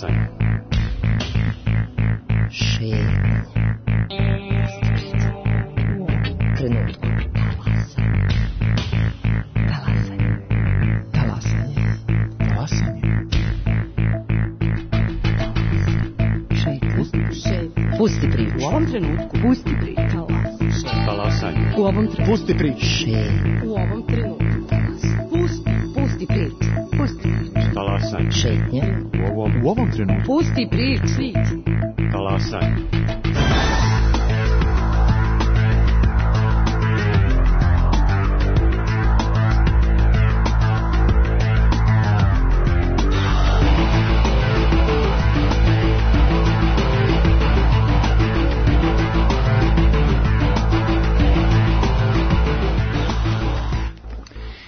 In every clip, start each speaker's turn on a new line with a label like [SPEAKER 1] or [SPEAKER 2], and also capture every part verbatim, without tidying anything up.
[SPEAKER 1] Talasanje.
[SPEAKER 2] Šetnja. Trenutku. Talasanje. Talasanje. Talasanje. Šetnja. Pusti priču. U ovom trenutku. Pusti priču.
[SPEAKER 1] Talasanje.
[SPEAKER 2] U ovom trenutku.
[SPEAKER 3] Pusti priču.
[SPEAKER 2] Šetnja. U ovom trenutku. Pusti. Pusti priču. Pusti priču.
[SPEAKER 1] Talasanje.
[SPEAKER 2] Šetnja.
[SPEAKER 1] U ovom, u ovom trenutku.
[SPEAKER 2] Pusti priču.
[SPEAKER 1] Talasanje.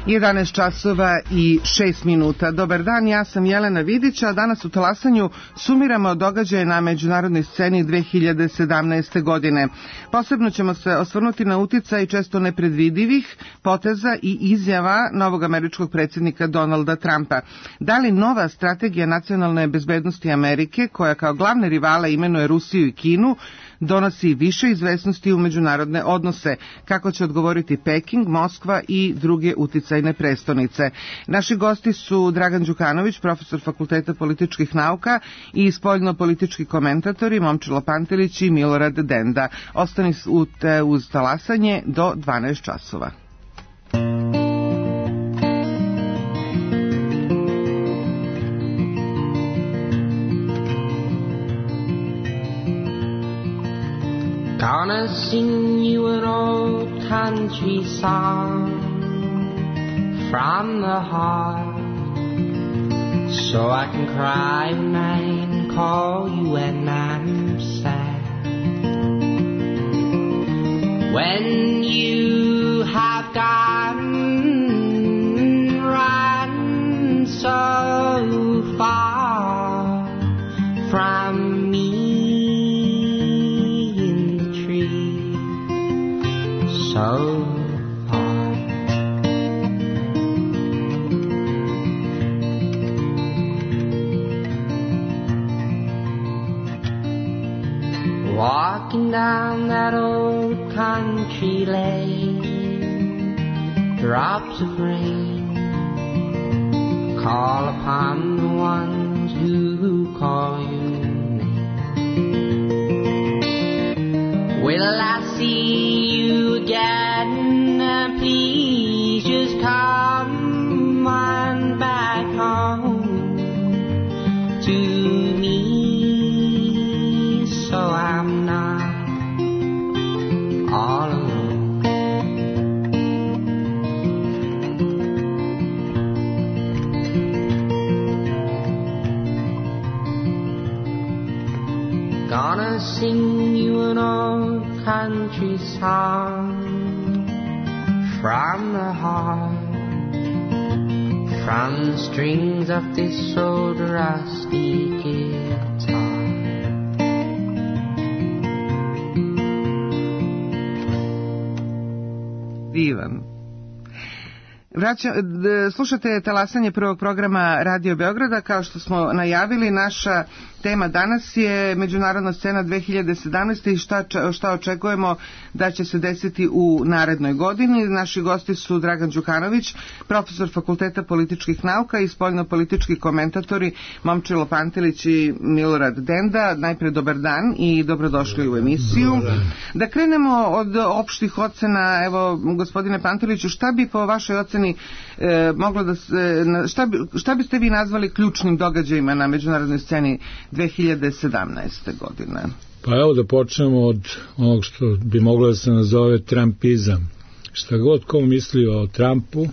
[SPEAKER 4] jedanaest časova i šest minuta. Dobar dan, ja sam Jelena Vidić, a danas u Talasanju sumiramo događaje na međunarodnoj sceni dve hiljade sedamnaeste. godine. Posebno ćemo se osvrnuti na uticaj često nepredvidivih poteza i izjava novog američkog predsjednika Donalda Trumpa. Da li nova strategija nacionalne bezbednosti Amerike, koja kao glavne rivale imenuje Rusiju i Kinu, donosi više izvesnosti u međunarodne odnose, kako će odgovoriti Peking, Moskva i druge uticajne prestonice. Naši gosti su Dragan Đukanović, profesor Fakulteta političkih nauka i spoljno-politički komentatori Momčilo Pantelić i Milorad Denda. Ostani uz Talasanje do dvanaest časova.
[SPEAKER 5] Gonna sing you an old country song from the heart, so I can cry when I call you when I'm sad. When you have gone run so far from me, so far. Walking down that old country lane, drops of rain call upon the ones who call you name. Will I see you again? Please just come on back home to me, so I'm not all alone. Gonna sing you an old country song from the heart, from the strings of this old rusty guitar.
[SPEAKER 4] Divan. Vraća, slušate Talasanje prvog programa Radio Beograda. Kao što smo najavili, naša tema danas je međunarodna scena dve hiljade sedamnaeste. i šta, šta očekujemo da će se desiti u narednoj godini. Naši gosti su Dragan Đukanović, profesor Fakulteta političkih nauka i spoljno-politički komentatori Momčilo Pantelić i Milorad Denda. Najpre dobar dan i dobrodošli u emisiju. Da krenemo od opštih ocena. Evo, gospodine Panteliću, šta bi po vašoj oceni e, moglo da se, šta, bi, šta biste vi nazvali ključnim događajima na međunarodnoj sceni dve hiljade sedamnaeste. godine?
[SPEAKER 3] Pa evo da počnemo od onog što bi moglo da se nazove Trumpizam. Šta god ko misli o Trumpu,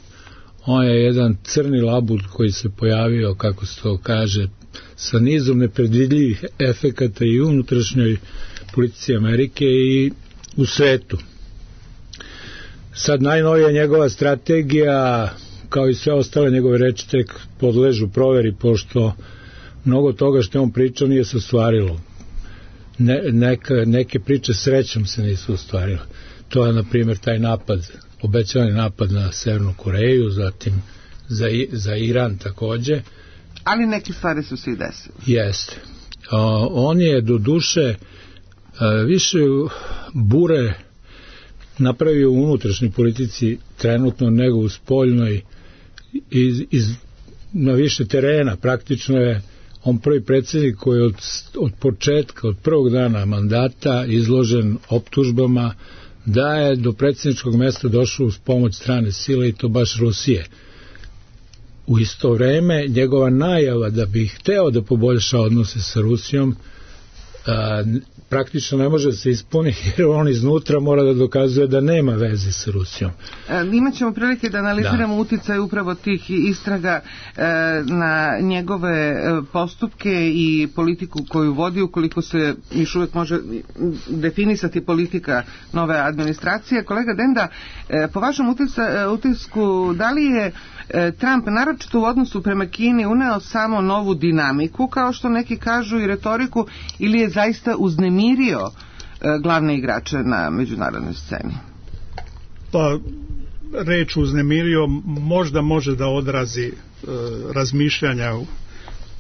[SPEAKER 3] on je jedan crni labud koji se pojavio, kako se to kaže, sa nizom nepredvidljivih efekata i u unutrašnjoj politici Amerike i u svetu. Sad najnovija njegova strategija, kao i sve ostale njegove reči, tek podležu proveri, pošto mnogo toga što je on pričao nije se ostvarilo. Ne, neka, neke priče srećom se nisu ostvarile. To je, na primjer, taj napad, obećavani napad na Severnu Koreju, zatim za, za Iran takođe,
[SPEAKER 4] Ali neke stvari su se i desile.
[SPEAKER 3] Jeste. On je do duše više bure napravio u unutrašnjoj politici trenutno nego u spoljnoj iz, iz, na više terena. Praktično je on prvi predsjednik koji je od, od početka, od prvog dana mandata izložen optužbama da je do predsjedničkog mjesta došao uz pomoć strane sile i to baš Rusije. U isto vreme njegova najava da bi hteo da poboljša odnose sa Rusijom a, praktično ne može se ispuniti jer on iznutra mora da dokazuje da nema veze sa Rusijom.
[SPEAKER 4] E, imaćemo prilike da analiziramo da. uticaj upravo tih istraga e, na njegove e, postupke i politiku koju vodi, ukoliko se još uvijek može definisati politika nove administracije. Kolega Denda, e, po vašem utisa, utisku, da li je Trump naročito u odnosu prema Kini uneo samo novu dinamiku, kao što neki kažu, i retoriku, ili je zaista uznemirio glavne igrače na međunarodnoj sceni?
[SPEAKER 6] Pa, reč uznemirio možda može da odrazi e, razmišljanja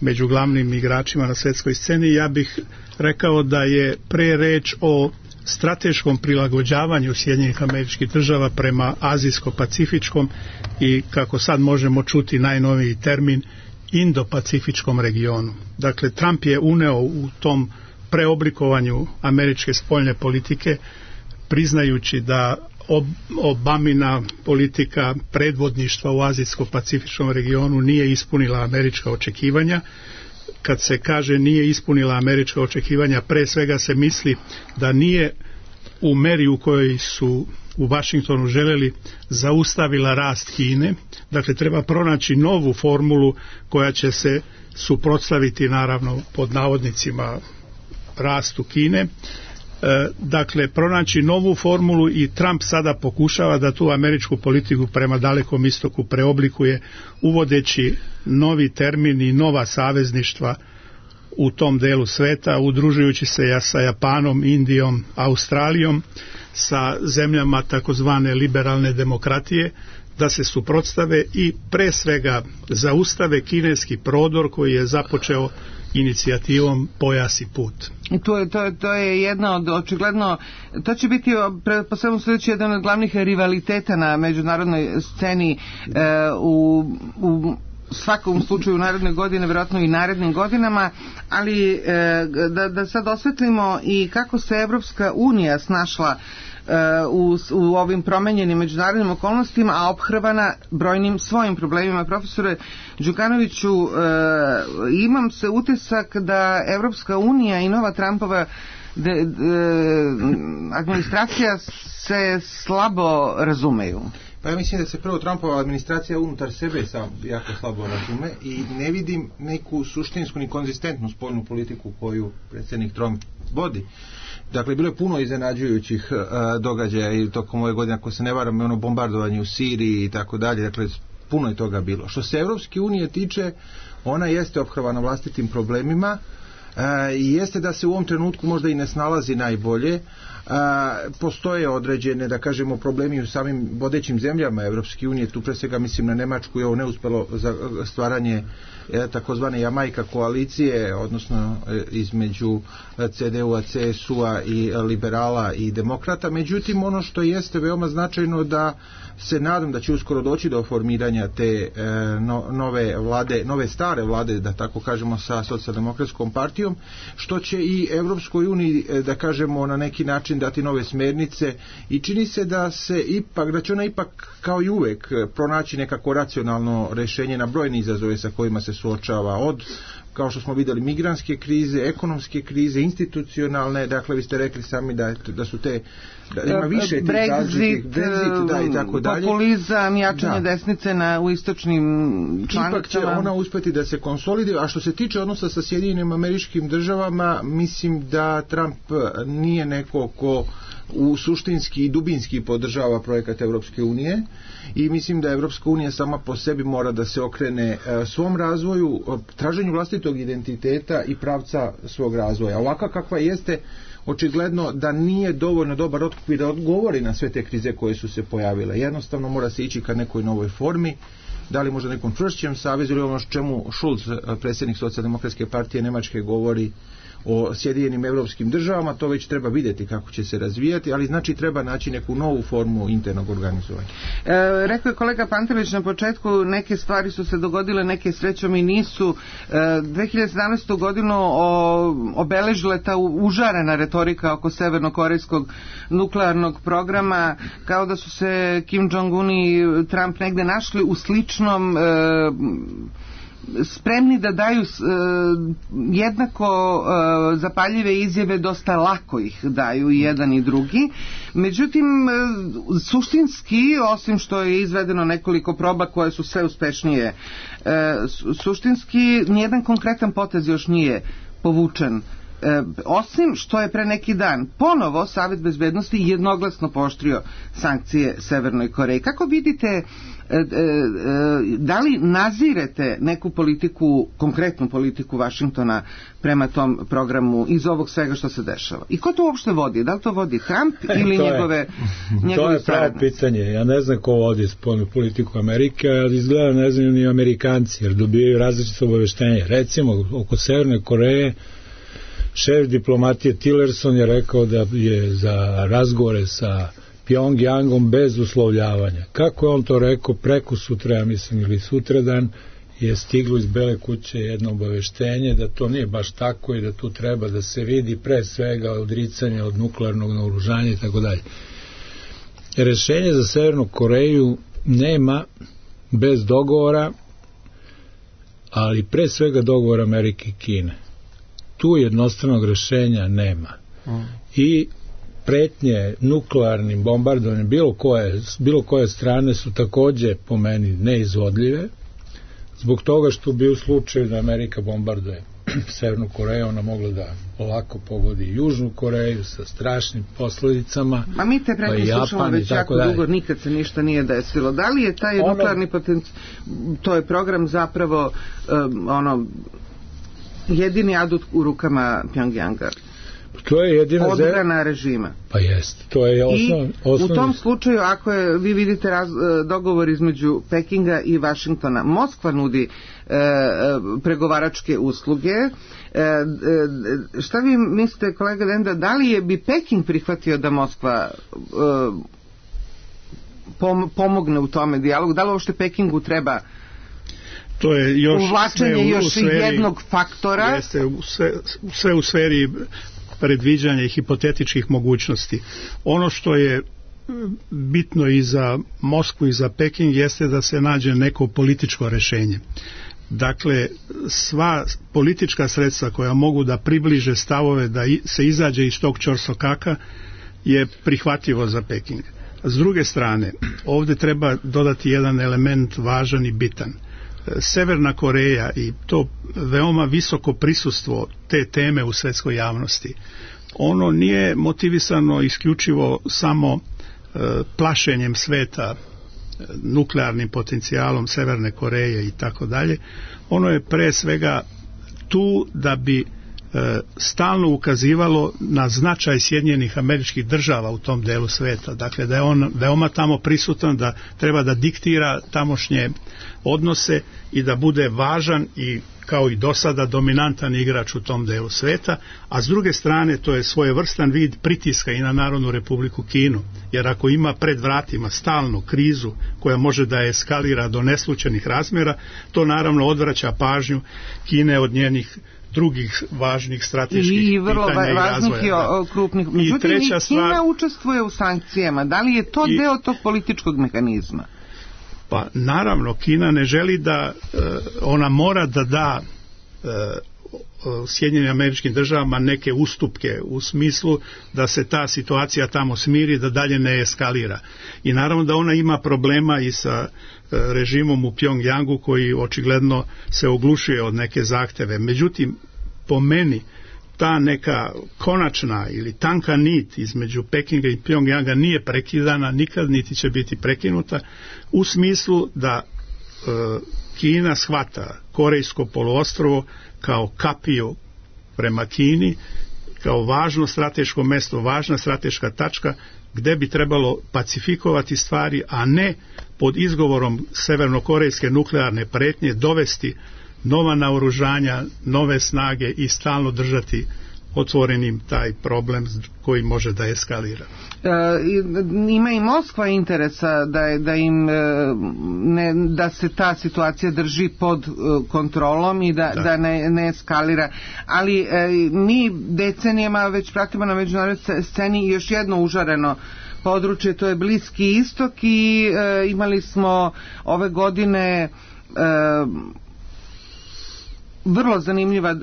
[SPEAKER 6] među glavnim igračima na svjetskoj sceni. Ja bih rekao da je pre reč o strateškom prilagođavanju Sjedinjenih Američkih Država prema azijsko-pacifičkom i, kako sad možemo čuti, najnoviji termin, Indo-pacifičkom regionu. Dakle, Trump je uneo u tom preoblikovanju američke spoljne politike, priznajući da ob, Obamina politika predvodništva u azijsko-pacifičkom regionu nije ispunila američka očekivanja. Kad se kaže nije ispunila američka očekivanja, pre svega se misli da nije u meri u kojoj su u Vašingtonu želeli zaustavila rast Kine. Dakle, treba pronaći novu formulu koja će se suprotstaviti, naravno, pod navodnicima rastu Kine. Dakle, pronaći novu formulu i Trump sada pokušava da tu američku politiku prema Dalekom istoku preoblikuje, uvodeći novi termin i nova savezništva u tom delu sveta, udružujući se sa Japanom, Indijom, Australijom, sa zemljama takozvane liberalne demokratije, da se suprotstave i pre svega zaustave kineski prodor koji je započeo inicijativom Pojas i put.
[SPEAKER 4] I to je, to je, to je jedna od, očigledno, to će biti po svemu sudeći jedan od glavnih rivaliteta na međunarodnoj sceni e, u, u svakom slučaju u naredne godine, vjerojatno i narednim godinama, ali e, da, da sad osvetlimo i kako se Evropska unija snašla U, u ovim promenjenim međunarodnim okolnostima, a ophrvana brojnim svojim problemima. Profesore Đukanoviću, e, imam se utisak da Evropska unija i nova Trumpova de, de, administracija se slabo razumeju.
[SPEAKER 7] Pa ja mislim da se prvo Trumpova administracija unutar sebe sam jako slabo razume i ne vidim neku suštinsku ni konzistentnu spoljnu politiku koju predsjednik Trump vodi. Dakle, bilo je puno iznenađujućih uh, događaja i tokom ove godine, ako se ne varam, ono bombardovanje u Siriji i tako dalje, dakle, puno je toga bilo. Što se Evropske unije tiče, ona jeste ophrvana vlastitim problemima uh, i jeste da se u ovom trenutku možda i ne snalazi najbolje. Uh, postoje određene, da kažemo, problemi u samim vodećim zemljama Evropske unije, tu pre svega mislim na Nemačku i ovo neuspelo za stvaranje e, takozvane Jamajka koalicije, odnosno e, između C D U-a, C S U-a i liberala i demokrata. Međutim, ono što jeste veoma značajno, da se nadam da će uskoro doći do formiranja te e, no, nove vlade, nove stare vlade, da tako kažemo, sa socijaldemokratskom partijom, što će i Evropskoj uniji, e, da kažemo, na neki način dati nove smernice i čini se da se ipak, da će ona ipak kao i uvek pronaći nekako racionalno rješenje na brojne izazove sa kojima se suočava, od, kao što smo vidjeli, migrantske krize, ekonomske krize, institucionalne, dakle vi ste rekli sami da, da su te, da ima više tih
[SPEAKER 4] Brexit,
[SPEAKER 7] Brexit, da, i tako dalje.
[SPEAKER 4] Populizam, jačanje da. desnice na, u istočnim članicama.
[SPEAKER 7] Ipak će ona uspjeti da se konsoliduje, a što se tiče odnosa sa Sjedinjenim Američkim Državama, mislim da Trump nije neko ko u suštinski i dubinski podržava projekat Evropske unije i mislim da Evropska unija sama po sebi mora da se okrene e, svom razvoju, traženju vlastitog identiteta i pravca svog razvoja. Ovaka kakva jeste, očigledno da nije dovoljno dobar otkupir da odgovori na sve te krize koje su se pojavile. Jednostavno mora se ići ka nekoj novoj formi da li možda nekom čvršćem savezu ili ono čemu Schulz, predsjednik Socijaldemokratske partije Nemačke, govori o Sjedinjenim evropskim državama, to već treba vidjeti kako će se razvijati, ali znači treba naći neku novu formu internog organizovanja.
[SPEAKER 4] E, rekao je kolega Pantelić na početku, neke stvari su se dogodile, neke srećom i nisu. E, dve hiljade sedamnaeste. godinu o, obeležila ta užarena retorika oko severnokorejskog nuklearnog programa, kao da su se Kim Jong-un i Trump negde našli u sličnom e, spremni da daju uh, jednako uh, zapaljive izjave, dosta lako ih daju i jedan i drugi. Međutim, uh, suštinski, osim što je izvedeno nekoliko proba koje su sve uspešnije, uh, suštinski nijedan konkretan potez još nije povučen. E, osim što je pre neki dan ponovo Savet bezbednosti jednoglasno pooštrio sankcije Severnoj Koreji. Kako vidite, e, e, e, da li nazirete neku politiku, konkretnu politiku Vašingtona prema tom programu iz ovog svega što se dešava? I ko to uopšte vodi? Da li to vodi Trump ili
[SPEAKER 3] to
[SPEAKER 4] njegove,
[SPEAKER 3] je,
[SPEAKER 4] njegove
[SPEAKER 3] to je pravo pitanje. Ja ne znam ko vodi spoljnu politiku Amerike, ali izgleda ne znaju ni Amerikanci, jer dobijaju različite obaveštenje. Recimo, oko Severne Koreje šef diplomatije Tillerson je rekao da je za razgovore sa Pjongjangom bez uslovljavanja. Kako je on to rekao? Preko sutra, ja mislim, ili sutradan je stiglo iz Bele kuće jedno obaveštenje da to nije baš tako i da tu treba da se vidi pre svega odricanje od nuklearnog naoružanja i tako dalje. Rešenje za Severnu Koreju nema bez dogovora, ali pre svega dogovor Amerike i Kine. Tu jednostranog rešenja nema. I pretnje nuklearnim bombardovanjem bilo koje, bilo koje strane su takođe po meni neizvodljive, zbog toga što bi u slučaju da Amerika bombarduje Severnu Koreju, ona mogla da ovako pogodi Južnu Koreju sa strašnim posledicama.
[SPEAKER 4] A mi te pretnje
[SPEAKER 3] pa
[SPEAKER 4] slušamo već jako
[SPEAKER 3] dalje.
[SPEAKER 4] dugo, nikad se ništa nije desilo. Da li je taj ono, nuklearni potencijal, to je program zapravo um, ono jedini adut u rukama Pjongjanga?
[SPEAKER 3] To je jedina
[SPEAKER 4] odbrana režima.
[SPEAKER 3] Pa jest, to je osnov,
[SPEAKER 4] I
[SPEAKER 3] osnov...
[SPEAKER 4] u tom slučaju, ako je, vi vidite raz, dogovor između Pekinga i Vašingtona, Moskva nudi e, pregovaračke usluge. E, e, šta vi mislite, kolega Venda, da li je bi Peking prihvatio da Moskva e, pom, pomogne u tome dijalogu? Da li uopšte Pekingu treba
[SPEAKER 6] to je još
[SPEAKER 4] uvlačenje još sferi, jednog faktora?
[SPEAKER 6] Jeste, sve, sve u sferi predviđanja i hipotetičkih mogućnosti. Ono što je bitno i za Moskvu i za Peking jeste da se nađe neko političko rešenje. Dakle, sva politička sredstva koja mogu da približe stavove da se izađe iz tog ćorsokaka je prihvatljivo za Peking. S druge strane, ovdje treba dodati jedan element važan i bitan. Severna Koreja i to veoma visoko prisustvo te teme u svjetskoj javnosti, ono nije motivisano isključivo samo e, plašenjem sveta e, nuklearnim potencijalom Severne Koreje i tako dalje. Ono je pre svega tu da bi e, stalno ukazivalo na značaj Sjedinjenih Američkih Država u tom delu sveta. Dakle, da je on veoma tamo prisutan, da treba da diktira tamošnje odnose i da bude važan i kao i do sada dominantan igrač u tom delu sveta, a s druge strane to je svojevrstan vid pritiska i na Narodnu Republiku Kinu, jer ako ima pred vratima stalnu krizu koja može da eskalira do neslućenih razmjera, to naravno odvraća pažnju Kine od njenih drugih važnih strateških
[SPEAKER 4] i vrlo
[SPEAKER 6] pitanja i razvoja.
[SPEAKER 4] I vrlo krupnih. Međutim, i Kina stvar, učestvuje u sankcijama. Da li je to i, deo tog političkog mehanizma?
[SPEAKER 6] Pa naravno, Kina ne želi da, ona mora da da Sjedinjenim Američkim Državama neke ustupke u smislu da se ta situacija tamo smiri, da dalje ne eskalira. I naravno da ona ima problema i sa režimom u Pjongjangu koji očigledno se oglušuje od neke zahteve. Međutim, po meni ta neka konačna ili tanka nit između Pekinga i Pjongjanga nije prekidana, nikad niti će biti prekinuta, u smislu da e, Kina shvata Korejsko poluostrvo kao kapiju prema Kini, kao važno strateško mesto, važna strateška tačka gde bi trebalo pacifikovati stvari, a ne pod izgovorom severnokorejske nuklearne pretnje dovesti nova naoružanja, nove snage i stalno držati otvorenim taj problem koji može da eskalira.
[SPEAKER 4] E, ima i Moskva interesa da, da im ne, da se ta situacija drži pod kontrolom i da, da. da ne, ne eskalira, ali e, mi decenijama već pratimo na međunarodnoj sceni još jedno užareno područje, to je Bliski istok i e, imali smo ove godine e, vrlo zanimljiva e,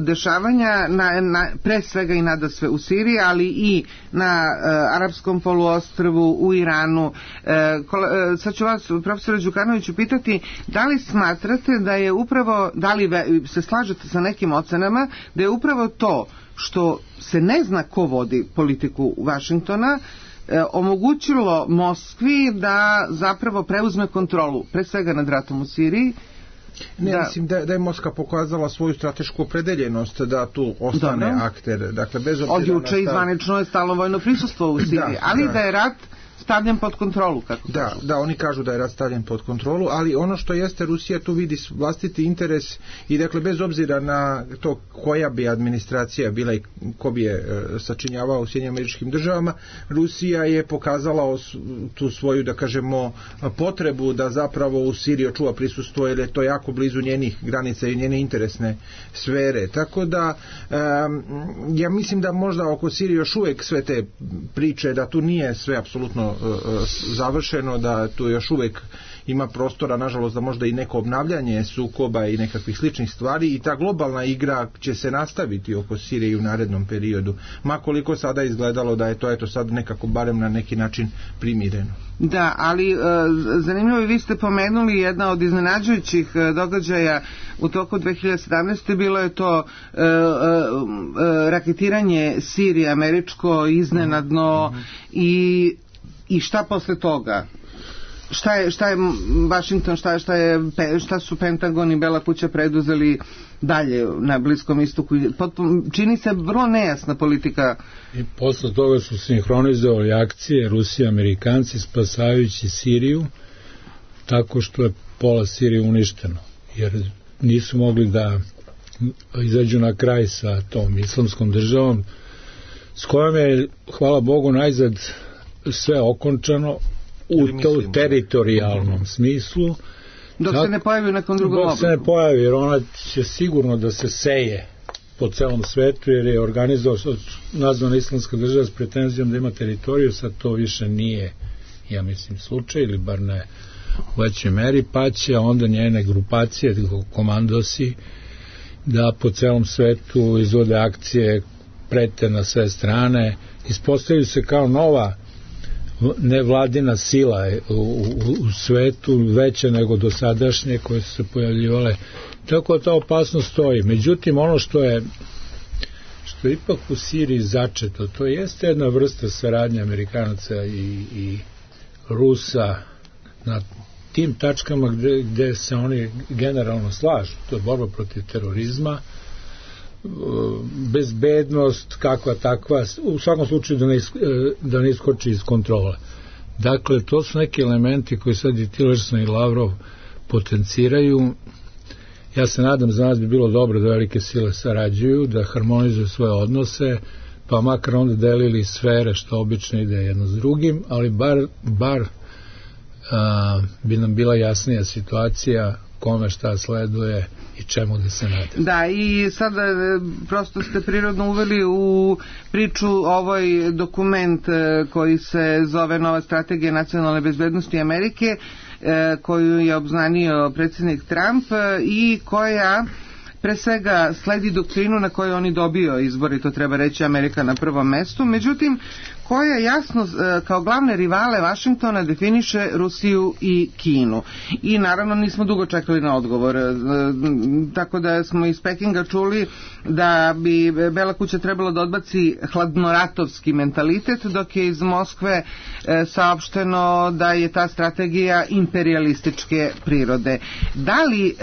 [SPEAKER 4] dešavanja na, na, pre svega i nadasve u Siriji, ali i na e, Arapskom poluostrvu, u Iranu. E, kol, e, sad ću vas, profesore Đukanoviću, pitati da li smatrate da je upravo, da li ve, se slažete sa nekim ocenama, da je upravo to što se ne zna ko vodi politiku Vašingtona e, omogućilo Moskvi da zapravo preuzme kontrolu, pre svega nad ratom u Siriji.
[SPEAKER 7] Ne,
[SPEAKER 4] da.
[SPEAKER 7] mislim da, da je Moskva pokazala svoju stratešku opredeljenost da tu ostane
[SPEAKER 4] Dobro.
[SPEAKER 7] akter. Dakle, bez obzira
[SPEAKER 4] od juče
[SPEAKER 7] na
[SPEAKER 4] izvanično je stalno vojno prisustvo u Siriji,
[SPEAKER 7] da,
[SPEAKER 4] ali
[SPEAKER 7] da.
[SPEAKER 4] da je rat stavljen pod kontrolu, kako
[SPEAKER 7] da, da, oni kažu da je rat stavljen pod kontrolu, ali ono što jeste, Rusija tu vidi vlastiti interes i dakle bez obzira na to koja bi administracija bila i ko bi je e, sačinjavao u Sjedinjenim Američkim Državama, Rusija je pokazala os, tu svoju, da kažemo, potrebu da zapravo u Siriji očuva prisustvo, jer je to jako blizu njenih granica i njene interesne sfere. Tako da e, ja mislim da možda oko Sirije još uvijek sve te priče, da tu nije sve apsolutno završeno, da tu još uvijek ima prostora, nažalost, da možda i neko obnavljanje sukoba i nekakvih sličnih stvari, i ta globalna igra će se nastaviti oko Sirije u narednom periodu, makoliko sada izgledalo da je to eto sad nekako barem na neki način primireno.
[SPEAKER 4] Da, ali e, zanimljivo je, vi ste pomenuli jedna od iznenađujućih e, događaja u toku dve hiljade sedamnaeste. bilo je to e, e, e, raketiranje Sirije američko iznenadno, mm-hmm. i I šta posle toga? Šta je, šta je Washington, šta, šta, je, šta su Pentagon i Bela kuća preduzeli dalje na Bliskom istoku? Potpuno, čini se vrlo nejasna politika.
[SPEAKER 3] I posle toga su sinhronizovali akcije Rusija i Amerikanci spasavajući Siriju, tako što je pola Sirije uništeno, jer nisu mogli da izađu na kraj sa tom islamskom državom, s kojom je, hvala Bogu, najzad sve okončano u to teritorijalnom smislu.
[SPEAKER 4] Dok tak, se ne pojavi u nekom drugom obliku.
[SPEAKER 3] Dok se ne pojavi, jer ona će sigurno da se seje po celom svetu, jer je organizovao nazvana islamska država s pretenzijom da ima teritoriju, sad to više nije, ja mislim, slučaj, ili bar ne u većoj meri, pa će onda njene grupacije, komandosi, da po celom svetu izvode akcije, prete na sve strane, ispostavljaju se kao nova nevladina sila u, u, u svetu, veća nego dosadašnje koje su se pojavljivale, tako da ta opasnost stoji. Međutim, ono što je što je ipak u Siriji začeto, to jeste jedna vrsta saradnje Amerikanaca i, i Rusa na tim tačkama gde, gde se oni generalno slažu. To je borba protiv terorizma, bezbednost kakva takva, u svakom slučaju da ne, is, da ne iskoči iz kontrole. Dakle, to su neki elementi koji sad i Tillerson i Lavrov potenciraju. Ja se nadam, za nas bi bilo dobro da velike sile sarađuju, da harmonizuju svoje odnose, pa makar onda delili sfere, što obično ide jedno s drugim, ali bar, bar a, bi nam bila jasnija situacija kome šta sleduje i čemu da se nada.
[SPEAKER 4] Da, i sada prosto ste prirodno uveli u priču ovaj dokument koji se zove Nova strategija nacionalne bezbednosti Amerike, koju je obznanio predsjednik Trump i koja pre svega sledi doktrinu na kojoj oni dobio izbori, to treba reći, Amerika na prvom mestu, međutim koja jasno kao glavne rivale Vašingtona definiše Rusiju i Kinu. I naravno nismo dugo čekali na odgovor, tako da smo iz Pekinga čuli da bi Bela kuća trebalo da odbaci hladnoratovski mentalitet, dok je iz Moskve saopšteno da je ta strategija imperialističke prirode. Da li,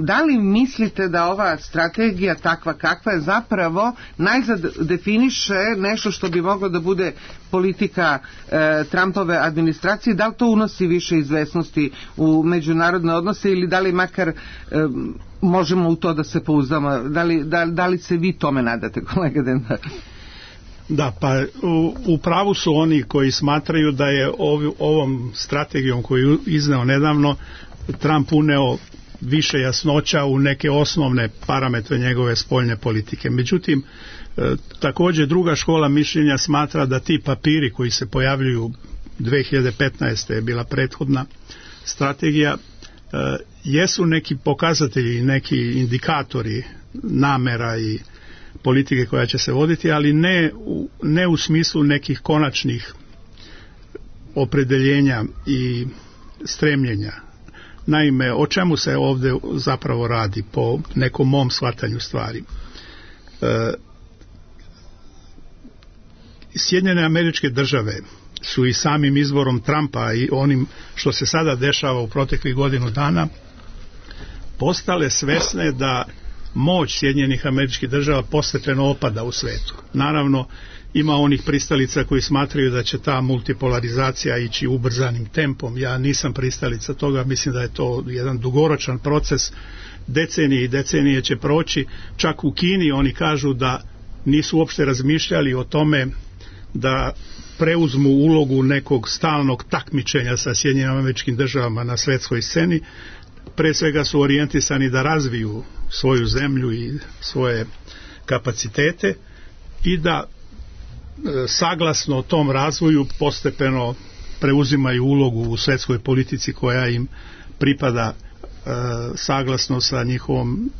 [SPEAKER 4] da li mislite da ova strategija takva kakva je zapravo najzad definiše nešto što bi mogla da bude politika e, Trumpove administracije, da li to unosi više izvesnosti u međunarodne odnose ili da li makar e, možemo u to da se pouzdamo, da li, da, da li se vi tome nadate, kolega Dendar?
[SPEAKER 6] Da, pa u, u pravu su oni koji smatraju da je ov, ovom strategijom koju je izneo nedavno Trump uneo više jasnoća u neke osnovne parametre njegove spoljne politike. Međutim, e, također druga škola mišljenja smatra da ti papiri koji se pojavljuju dve hiljade petnaeste je bila prethodna strategija, e, jesu neki pokazatelji, neki indikatori namera i politike koja će se voditi, ali ne u, ne u smislu nekih konačnih opredeljenja i stremljenja. Naime, o čemu se ovdje zapravo radi po nekom mom shvatanju stvari? E, Sjedinjene Američke Države su i samim izborom Trumpa i onim što se sada dešava u proteklih godinu dana postale svesne da moć Sjedinjenih Američkih Država postepeno opada u svetu. Naravno, ima onih pristalica koji smatraju da će ta multipolarizacija ići ubrzanim tempom. Ja nisam pristalica toga, mislim da je to jedan dugoročan proces, decenije i decenije će proći. Čak u Kini oni kažu da nisu uopšte razmišljali o tome da preuzmu ulogu nekog stalnog takmičenja sa Sjedinjenim Američkim Državama na svetskoj sceni. Pre svega su orijentisani da razviju svoju zemlju i svoje kapacitete i da e, saglasno tom razvoju postepeno preuzimaju ulogu u svjetskoj politici koja im pripada e, saglasno sa njihovom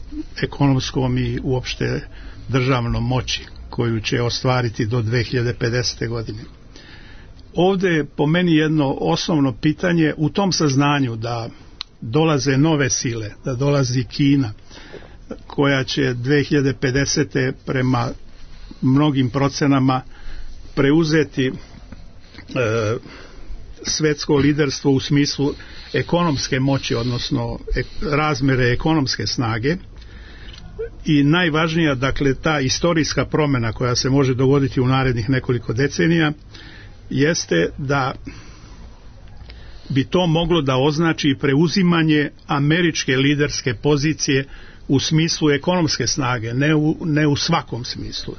[SPEAKER 6] ekonomskom i uopšte državnom moći koju će ostvariti do dve hiljade pedesete. godine. Ovdje je po meni jedno osnovno pitanje u tom saznanju da dolaze nove sile, da dolazi Kina koja će dve hiljade pedesete. prema mnogim procenama preuzeti e, svjetsko liderstvo u smislu ekonomske moći, odnosno e, razmjere ekonomske snage. I najvažnija, dakle, ta istorijska promjena koja se može dogoditi u narednih nekoliko decenija jeste da bi to moglo da označi preuzimanje američke liderske pozicije u smislu ekonomske snage, ne u, ne u svakom smislu.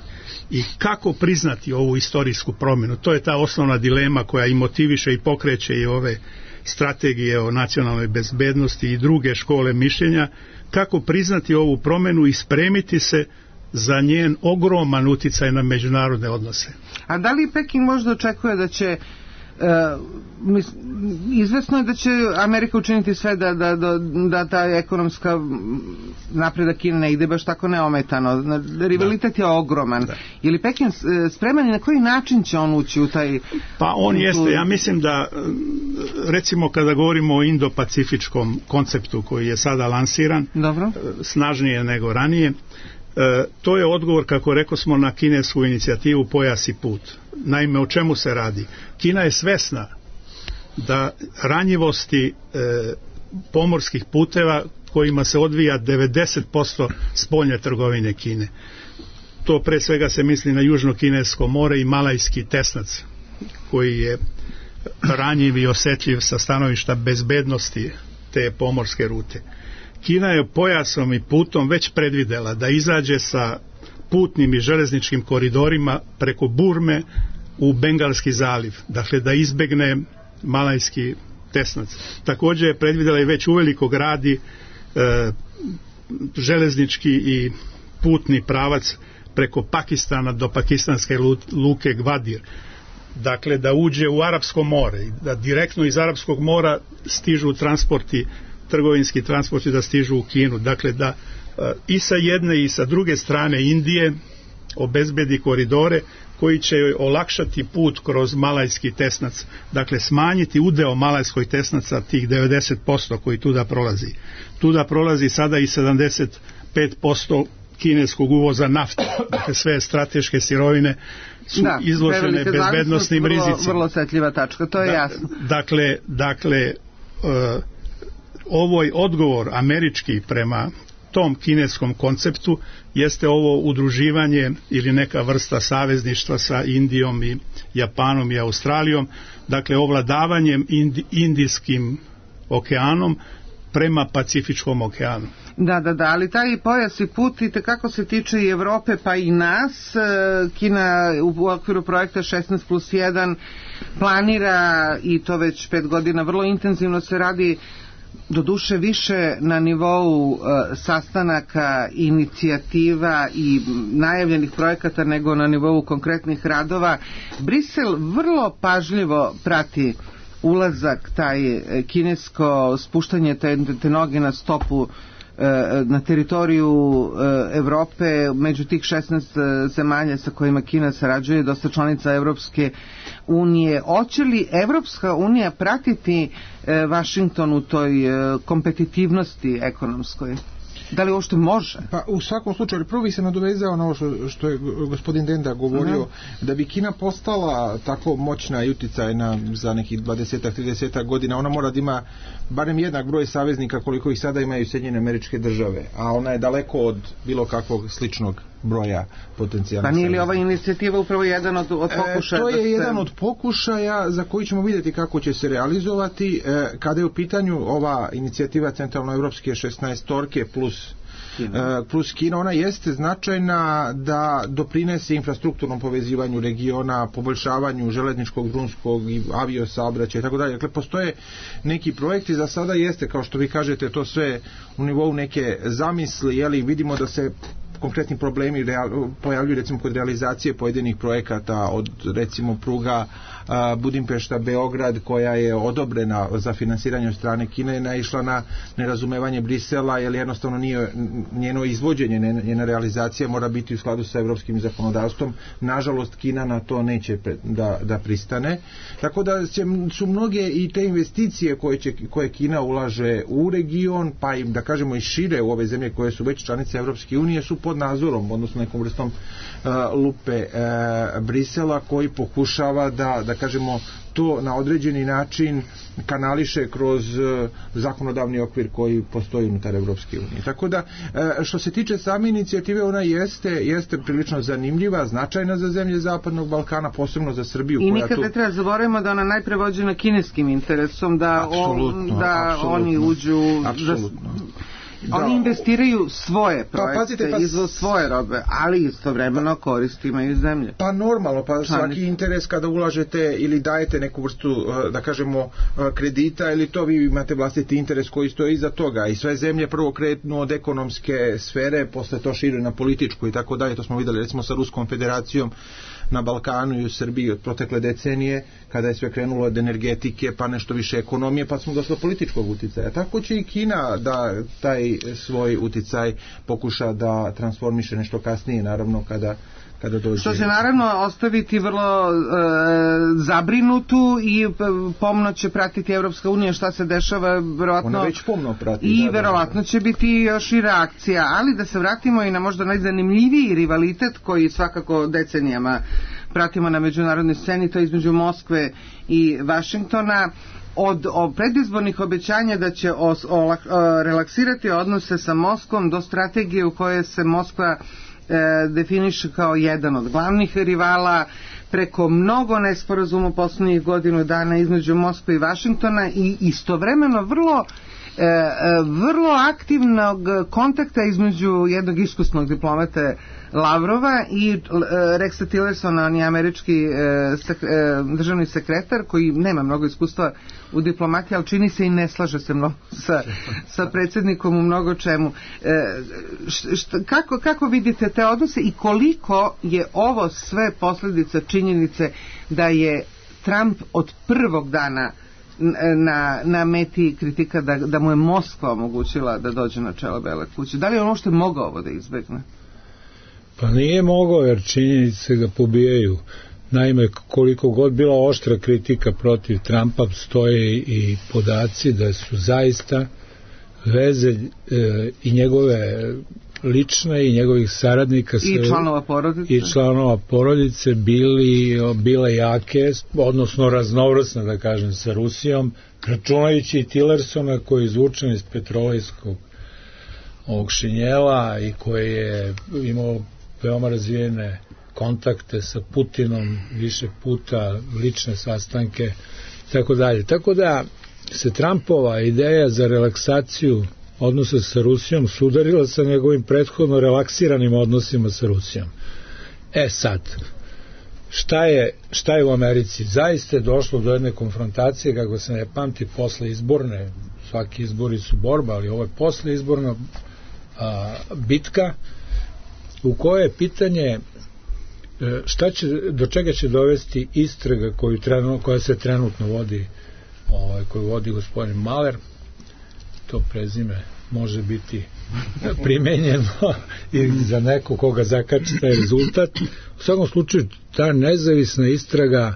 [SPEAKER 6] I kako priznati ovu istorijsku promjenu? To je ta osnovna dilema koja i motiviše i pokreće i ove strategije o nacionalnoj bezbednosti i druge škole mišljenja. Kako priznati ovu promjenu i spremiti se za njen ogroman uticaj na međunarodne odnose?
[SPEAKER 4] A da li Peking možda očekuje da će Uh, mis, izvesno je da će Amerika učiniti sve da, da, da, da ta ekonomska napredak Kine ne ide baš tako neometano. Rivalitet da. je ogroman. Da. Je li Pekin spreman i na koji način će on ući u taj...
[SPEAKER 6] Pa on
[SPEAKER 4] u...
[SPEAKER 6] jeste, ja mislim da recimo kada govorimo o indo-pacifičkom konceptu koji je sada lansiran,
[SPEAKER 4] Dobro.
[SPEAKER 6] snažnije nego ranije, E, to je odgovor, kako rekao smo, na kinesku inicijativu Pojas i put. Naime, o čemu se radi? Kina je svesna da ranjivosti e, pomorskih puteva kojima se odvija devedeset posto spoljne trgovine Kine. To pre svega se misli na Južno Kinesko more i Malajski tesnac koji je ranjiv i osjetljiv sa stanovišta bezbednosti te pomorske rute. Kina je pojasom i putom već predvidela da izađe sa putnim i železničkim koridorima preko Burme u Bengalski zaliv, dakle da izbegne Malajski tesnac. Također je predvidela i već uveliko gradi e, železnički i putni pravac preko Pakistana do pakistanske luke Gvadir. Dakle da uđe u Arapsko more i da direktno iz Arapskog mora stižu transporti, trgovinski transporti da stižu u Kinu. Dakle da e, i sa jedne i sa druge strane Indije obezbedi koridore koji će joj olakšati put kroz Malajski tesnac, dakle smanjiti udeo Malajskoj tesnaca tih devedeset posto koji tuda prolazi. Tuda prolazi sada i sedamdeset pet posto kineskog uvoza nafte, dakle sve strateške sirovine su da, izložene bezbednosnim
[SPEAKER 4] vrlo,
[SPEAKER 6] rizicima.
[SPEAKER 4] Vrlo osjetljiva tačka, to je da, jasno.
[SPEAKER 6] Dakle, dakle uh, ovoj odgovor američki prema tom kineskom konceptu jeste ovo udruživanje ili neka vrsta savezništva sa Indijom i Japanom i Australijom, dakle ovladavanjem Indi, Indijskim okeanom prema Pacifičkom okeanu.
[SPEAKER 4] Da, da, da, ali taj pojas i put i tekako se tiče i Evrope pa i nas. Kina u okviru projekta šesnaest plus jedan planira, i to već pet godina vrlo intenzivno se radi, doduše više na nivou uh, sastanaka, inicijativa i najavljenih projekata nego na nivou konkretnih radova. Brisel vrlo pažljivo prati ulazak, taj kinesko spuštanje te, te noge na stopu na teritoriju Evrope, među tih šesnaest zemalja sa kojima Kina sarađuje, dosta članica Evropske unije. Hoće li Evropska unija pratiti Vašington u toj kompetitivnosti ekonomskoj? Da li uopšte može?
[SPEAKER 7] Pa u svakom slučaju, prvo bi se nadovezao na ovo što, što je gospodin Denda govorio, uh-huh. da bi Kina postala tako moćna i uticajna za nekih dvadeset trideset godina, ona mora da ima barem jednak broj saveznika koliko ih sada imaju Sjedinjene Američke Države, a ona je daleko od bilo kakvog sličnog broja potencijalnih.
[SPEAKER 4] Pa nije li ova inicijativa upravo jedan od, od pokušaja?
[SPEAKER 7] E, to je
[SPEAKER 4] se...
[SPEAKER 7] jedan od pokušaja za koji ćemo vidjeti kako će se realizovati. E, kada je u pitanju ova inicijativa centralnoevropske šesnaestorke plus Kina. plus Kina, ona jeste značajna da doprinese infrastrukturnom povezivanju regiona, poboljšavanju železničkog, drumskog i aviosaobraćaja i tako dalje. Dakle, postoje neki projekti, za sada jeste, kao što vi kažete, to sve u nivou neke zamisli, jeli, vidimo da se konkretni problemi real, pojavljuju recimo kod realizacije pojedinih projekata, od recimo pruga a, Budimpešta Beograd, koja je odobrena za finansiranje od strane Kine, je naišla na nerazumevanje Brisela, jer jednostavno nije njeno izvođenje, njena realizacija mora biti u skladu sa evropskim zakonodavstvom. Nažalost, Kina na to neće da, da pristane. Tako da će, su mnoge i te investicije koje, će, koje Kina ulaže u region, pa i da kažemo i šire u ove zemlje koje su već članice Evropske unije, su pod nadzorom, odnosno nekom vrstom uh, lupe uh, Brisela, koji pokušava da, da kažemo, to na određeni način kanališe kroz uh, zakonodavni okvir koji postoji unutar Evropske unije. Tako da, uh, što se tiče same inicijative, ona jeste, jeste prilično zanimljiva, značajna za zemlje Zapadnog Balkana, posebno za Srbiju.
[SPEAKER 4] I nikad ne treba zaboravimo da ona najpre vođena kineskim interesom, da, on, da oni uđu...
[SPEAKER 7] Apsolutno.
[SPEAKER 4] Da, oni investiraju svoje projekte,
[SPEAKER 7] pa, pazite, pa,
[SPEAKER 4] izvoz svoje robe, ali istovremeno korist imaju zemlje.
[SPEAKER 7] Pa normalno, pa svaki interes kada ulažete ili dajete neku vrstu, da kažemo, kredita, ili to vi imate vlastiti interes koji stoji iza toga, i sve zemlje prvo kretnu od ekonomske sfere, posle to šire na političku i tako dalje. To smo videli recimo sa Ruskom federacijom na Balkanu i u Srbiji od protekle decenije, kada je sve krenulo od energetike pa nešto više ekonomije, pa smo došli do političkog uticaja. Tako će i Kina da taj svoj uticaj pokuša da transformiše nešto kasnije, naravno kada kada dođe.
[SPEAKER 4] Što će naravno ostaviti vrlo e, zabrinutu, i pomno će pratiti Evropska unija šta se dešava, verovatno.
[SPEAKER 7] Ona već pomno prati.
[SPEAKER 4] I
[SPEAKER 7] da,
[SPEAKER 4] verovatno
[SPEAKER 7] da.
[SPEAKER 4] će biti još i reakcija, ali da se vratimo i na možda najzanimljiviji rivalitet koji svakako decenijama pratimo na međunarodnoj sceni, to je između Moskve i Vašingtona. Od, od predizbornih obećanja da će os, o, o, relaksirati odnose sa Moskvom do strategije u kojoj se Moskva e, definiše kao jedan od glavnih rivala, preko mnogo nesporazuma poslednjih godinu dana između Moskve i Vašingtona, i istovremeno vrlo e, vrlo aktivnog kontakta između jednog iskusnog diplomate Lavrova i e, Rexa Tillersona, on je američki e, sek, e, državni sekretar koji nema mnogo iskustva u diplomatiji, ali čini se i ne slaže se mnogo sa, sa predsjednikom u mnogo čemu. E, šta, kako, kako vidite te odnose i koliko je ovo sve posljedica činjenice da je Trump od prvog dana na, na meti kritika da, da mu je Moskva omogućila da dođe na čelo Bele kuće? Da li je ono što je mogao ovo da izbegne?
[SPEAKER 3] Pa nije mogao, jer činjenice ga pobijaju. Naime, koliko god bila oštra kritika protiv Trumpa, stoje i podaci da su zaista veze e, i njegove lične i njegovih saradnika
[SPEAKER 4] i članova porodice
[SPEAKER 3] i članova porodice bili, bile jake, odnosno raznovrsne, da kažem, sa Rusijom, računajući i Tillersona koji je izvučen iz petrolejskog ovog Šinjela i koji je imao veoma razvijene kontakte sa Putinom više puta, lične sastanke i tako dalje. Tako da se Trumpova ideja za relaksaciju odnosa sa Rusijom sudarila sa njegovim prethodno relaksiranim odnosima sa Rusijom. E sad, šta je, šta je u Americi? Zaista je došlo do jedne konfrontacije, kako se ne pamti, posle izborne, svaki izbori su borba, ali ovo je posle izborna a, bitka u kojoj je pitanje šta će, do čega će dovesti istraga koju trenutno, koja se trenutno vodi, ovaj, koju vodi gospodin Maler. To prezime može biti primenjeno i za neko koga zakači taj rezultat. U svakom slučaju, ta nezavisna istraga,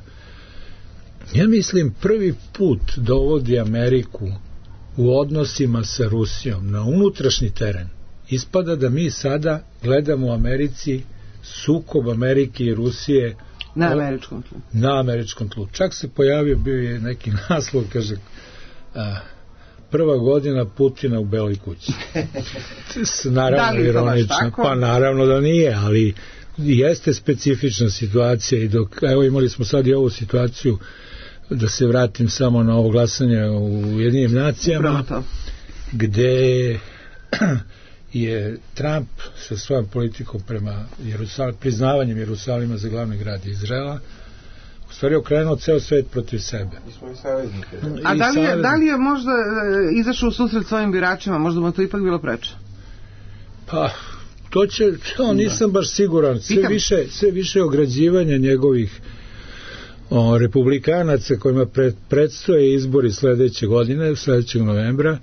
[SPEAKER 3] ja mislim, prvi put dovodi Ameriku u odnosima sa Rusijom na unutrašnji teren. Ispada da mi sada gledamo u Americi sukob Amerike i Rusije
[SPEAKER 4] na američkom tlu.
[SPEAKER 3] Na američkom tlu. Čak se pojavio, bio je neki naslov, kaže, a, prva godina Putina u Beloj kući. Naravno, da ironično. Pa naravno da nije, ali jeste specifična situacija i dok, evo imali smo sad i ovu situaciju, da se vratim samo na ovo glasanje u Ujedinjenim nacijama, gde je Trump sa svojom politikom prema Jerusal, priznavanjem Jerusalima za glavni grad Izraela u stvari okrenuo ceo svet protiv sebe.
[SPEAKER 4] A da li je, da li je možda izašao u susret svojim biračima, možda mu to ipak bilo preče?
[SPEAKER 3] Pa to će, to nisam baš siguran, sve više, sve više ograđivanja njegovih o, republikanaca kojima pred, predstoje izbori sledeće godine, sledećeg novembra,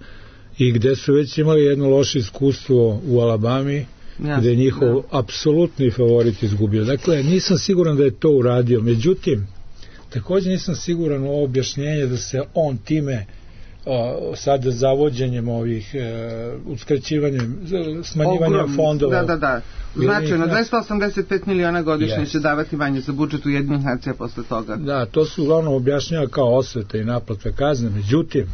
[SPEAKER 3] i gde su već imali jedno loše iskustvo u Alabami, ja, gde je njihov da. apsolutni favorit izgubio. Dakle, nisam siguran da je to uradio. Međutim, također nisam siguran u objašnjenje da se on time o, sada zavođenjem ovih e, uskraćivanjem, smanjivanja Ogrom, fondova.
[SPEAKER 4] Da, da, da. Značajno, dvesta osamdeset pet miliona godišnje yes. će davati manje za budžet Ujedinjenih nacija posle toga.
[SPEAKER 3] Da, to su uglavnom objašnjava kao osveta i naplata kazne. Međutim,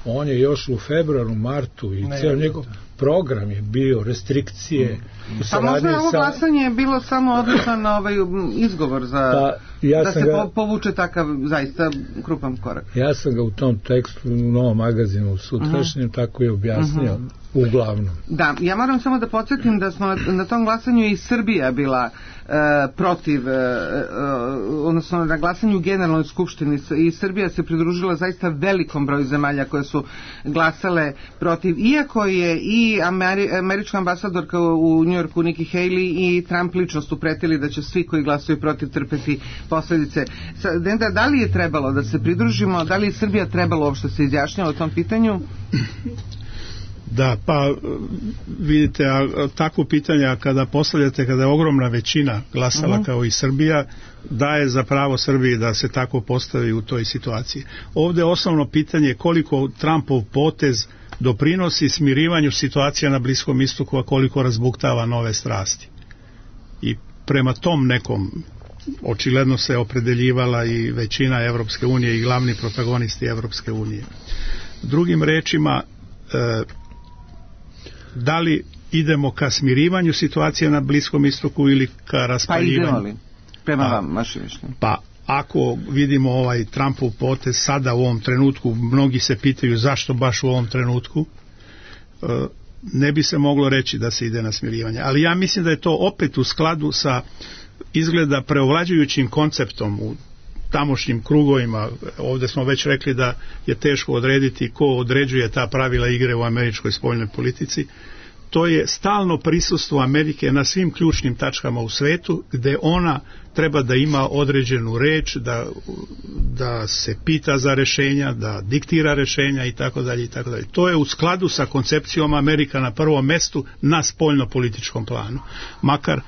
[SPEAKER 3] on je još u februaru, martu i cijel njegov program je bio restrikcije. Mm.
[SPEAKER 4] A možda je ovo glasanje je bilo samo odličan ovaj izgovor za pa, ja da se ga, povuče takav zaista krupan korak.
[SPEAKER 3] Ja sam ga u tom tekstu u Novom magazinu sutrašnjem uh-huh. tako je objasnio uh-huh. uglavnom.
[SPEAKER 4] Da, ja moram samo da podsjetim da smo na, na tom glasanju i Srbija bila e, protiv, e, e, odnosno na glasanju u Generalnoj skupštini i Srbija se pridružila zaista velikom broju zemalja koje su glasale protiv, iako je i Ameri, američka ambasadorka u Njujorku Nikki Haley i Trump lično su pretili da će svi koji glasaju protiv trpeti posledice. Denda, da li je trebalo da se pridružimo, da li je Srbija trebalo uopšte se izjašnjava o tom pitanju?
[SPEAKER 6] Da, pa vidite, a, takvo pitanja kada postavljate, kada je ogromna većina glasala uh-huh. kao i Srbija, daje za pravo Srbiji da se tako postavi u toj situaciji. Ovde je osnovno pitanje koliko Trumpov potez doprinosi smirivanju situacija na Bliskom istoku, a koliko razbuktava nove strasti. I prema tom nekom očigledno se opredeljivala i većina Evropske unije i glavni protagonisti Evropske unije. Drugim rečima, e, da li idemo ka smirivanju situacije na Bliskom istoku ili ka raspaljivanju?
[SPEAKER 4] Pa idemo li? Prema vam, vaše mišljenje.
[SPEAKER 6] Pa ako vidimo ovaj Trumpov potez sada u ovom trenutku, mnogi se pitaju zašto baš u ovom trenutku, e, ne bi se moglo reći da se ide na smirivanje. Ali ja mislim da je to opet u skladu sa izgleda preovlađujućim konceptom u tamošnjim krugovima. Ovdje smo već rekli da je teško odrediti ko određuje ta pravila igre u američkoj spoljnoj politici. To je stalno prisustvo Amerike na svim ključnim tačkama u svetu, gde ona treba da ima određenu reč, da, da se pita za rešenja, da diktira rešenja i tako dalje i tako dalje. To je u skladu sa koncepcijom Amerika na prvom mestu na spoljno-političkom planu. Makar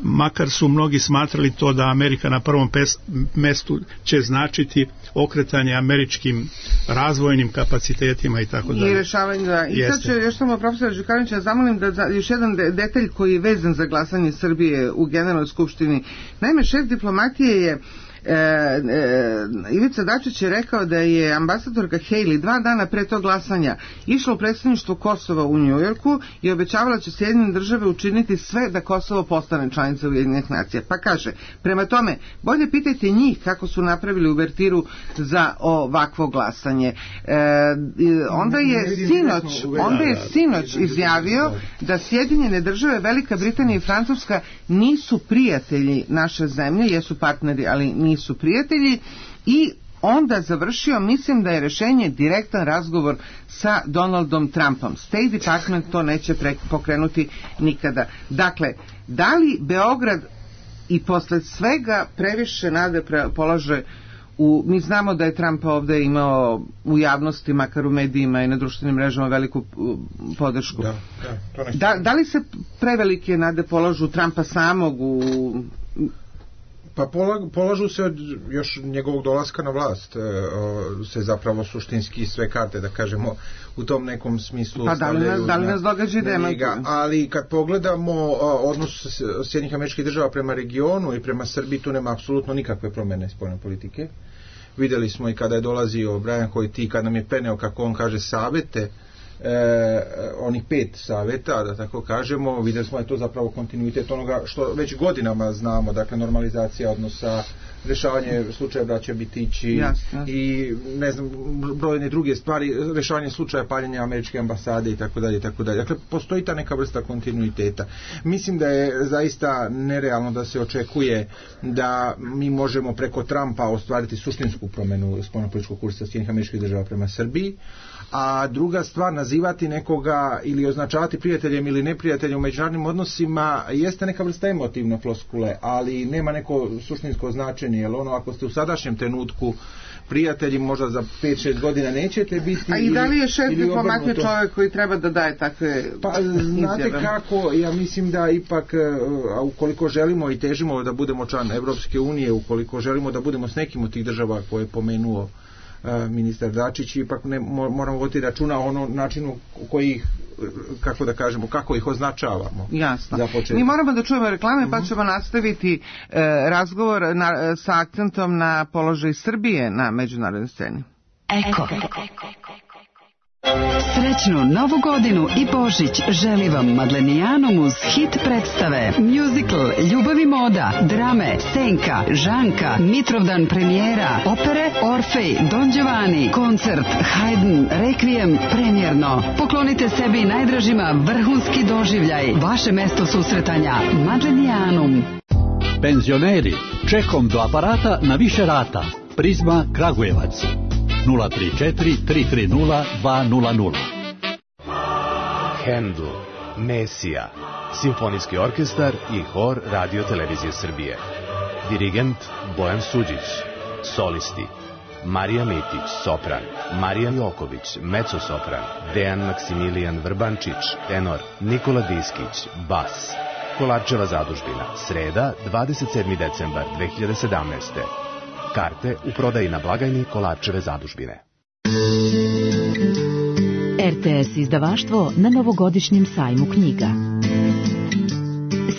[SPEAKER 6] makar su mnogi smatrali to da Amerika na prvom pes, mestu će značiti okretanje američkim razvojnim kapacitetima i tako dalje.
[SPEAKER 4] I rešavanje, da. I sad ću još samo profesora Đukanovića zamolim da za, još jedan de, detalj koji je vezan za glasanje Srbije u Generalnoj skupštini. Naime, šef diplomatije je E, e, Ivica Dačić je rekao da je ambasadorka Haley dva dana pre tog glasanja išla u predstavništvo Kosova u Njujorku i obećavala će Sjedinjene države učiniti sve da Kosovo postane članica Ujedinjenih nacija. Pa kaže, prema tome, bolje pitajte njih kako su napravili uvertiru za ovakvo glasanje. E, onda je sinoć, onda je sinoć izjavio da Sjedinjene države, Velika Britanija i Francuska nisu prijatelji naše zemlje, jesu partneri, ali nisu prijatelji, i onda završio, mislim da je rešenje direktan razgovor sa Donaldom Trumpom. State Department to neće pokrenuti nikada. Dakle, da li Beograd i posle svega previše nade polaže u, mi znamo da je Trump ovde imao u javnosti, makar u medijima i na društvenim mrežama, veliku podršku. Da, da, to da, da li se prevelike nade polažu Trumpa samog u...
[SPEAKER 7] Pa polažu se od još njegovog dolaska na vlast, se zapravo suštinski sve karte, da kažemo, u tom nekom smislu.
[SPEAKER 4] Pa da li nas, da li nas događa demantuju?
[SPEAKER 7] Ali kad pogledamo odnos Sjedinjenih Američkih Država prema regionu i prema Srbiji, tu nema apsolutno nikakve promene spoljne politike. Videli smo i kada je dolazio Brian Hoyti, kad nam je peneo, kako on kaže, savete, E, onih pet saveta, da tako kažemo, vidjeli smo da je to zapravo kontinuitet onoga što već godinama znamo, dakle normalizacija odnosa, rešavanje slučaja braća Bitići. Jasne. I ne znam, brojne druge stvari, rešavanje slučaja paljenja američke ambasade i tako dalje i tako dalje. Dakle, postoji ta neka vrsta kontinuiteta. Mislim da je zaista nerealno da se očekuje da mi možemo preko Trumpa ostvariti suštinsku promenu spoljnopolitičkog kursa Sjedinjenih Američkih Država prema Srbiji. A druga stvar, nazivati nekoga ili označavati prijateljem ili neprijateljem u međunarodnim odnosima jeste neka vrsta emotivne floskule, ali nema neko suštinsko značenje, jer ono, ako ste u sadašnjem trenutku prijatelji, možda za pet šest godina nećete biti.
[SPEAKER 4] A i da li je šef diplomatije čovjek koji treba da daje takve
[SPEAKER 7] pa znate izjave? Kako, ja mislim da ipak, a ukoliko želimo i težimo da budemo član Evropske unije, ukoliko želimo da budemo s nekim od tih država koje je pomenuo ministar Dačić, ipak ne, moramo voditi računa o onom načinu koji ih, kako da kažemo, kako ih označavamo.
[SPEAKER 4] Jasno. Mi moramo da čujemo reklame, pa ćemo nastaviti e, razgovor na, sa akcentom na položaj Srbije na međunarodnoj sceni.
[SPEAKER 8] Eko. Srećnu Novu godinu i Božić želi vam Madlenijanom uz hit predstave, musical, ljubav i moda, drame, Senka, Žanka, Mitrovdan premijera, opere Orfej, Don Giovanni, koncert, Haydn, Requiem, premijerno. Poklonite sebi i najdražima vrhunski doživljaj. Vaše mesto susretanja, Madlenijanum.
[SPEAKER 9] Penzioneri, čekom do aparata na više rata. Prizma Kragujevac. nula tri četiri tri tri nula dva nula nula.
[SPEAKER 10] Handel, Mesija, simfonijski orkestar i hor Radio Televizije Srbije. Dirigent Bojan Suđić. Solisti Marija Mitić, sopran, Marija Joković, mezzo-sopran, Dejan Maksimilijan Vrbančić, tenor, Nikola Diskić, bas. Kolarčeva zadužbina, sreda, dvadeset sedmi decembar dve hiljade sedamnaeste. Karte u prodaji na blagajni Kolarčeve zadužbine.
[SPEAKER 11] R T S izdavaštvo na novogodišnjem sajmu knjiga.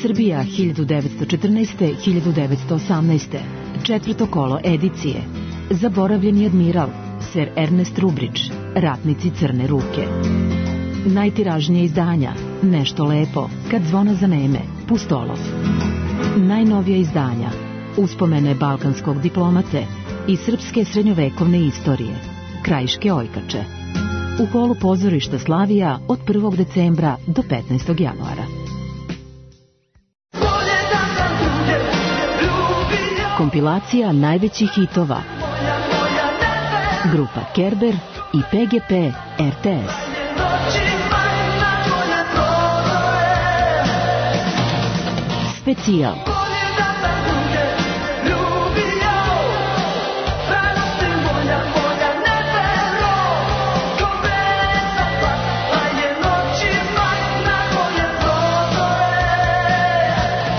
[SPEAKER 11] Srbija hiljadu devetsto četrnaeste do hiljadu devetsto osamnaeste. Četvrto kolo edicije. Zaboravljeni admiral, Ser Ernest Rubrić, Ratnici crne ruke. Najtiražnije izdanja, Nešto lepo, Kad zvona zaneme, Pustolov. Najnovija izdanja, Uspomene balkanskog diplomate i srpske srednjovekovne istorije, Krajiške ojkače. U holu pozorišta Slavija od prvog decembra do petnaestog januara. Kompilacija najvećih hitova. Grupa Kerber i P G P R T S. Specijal.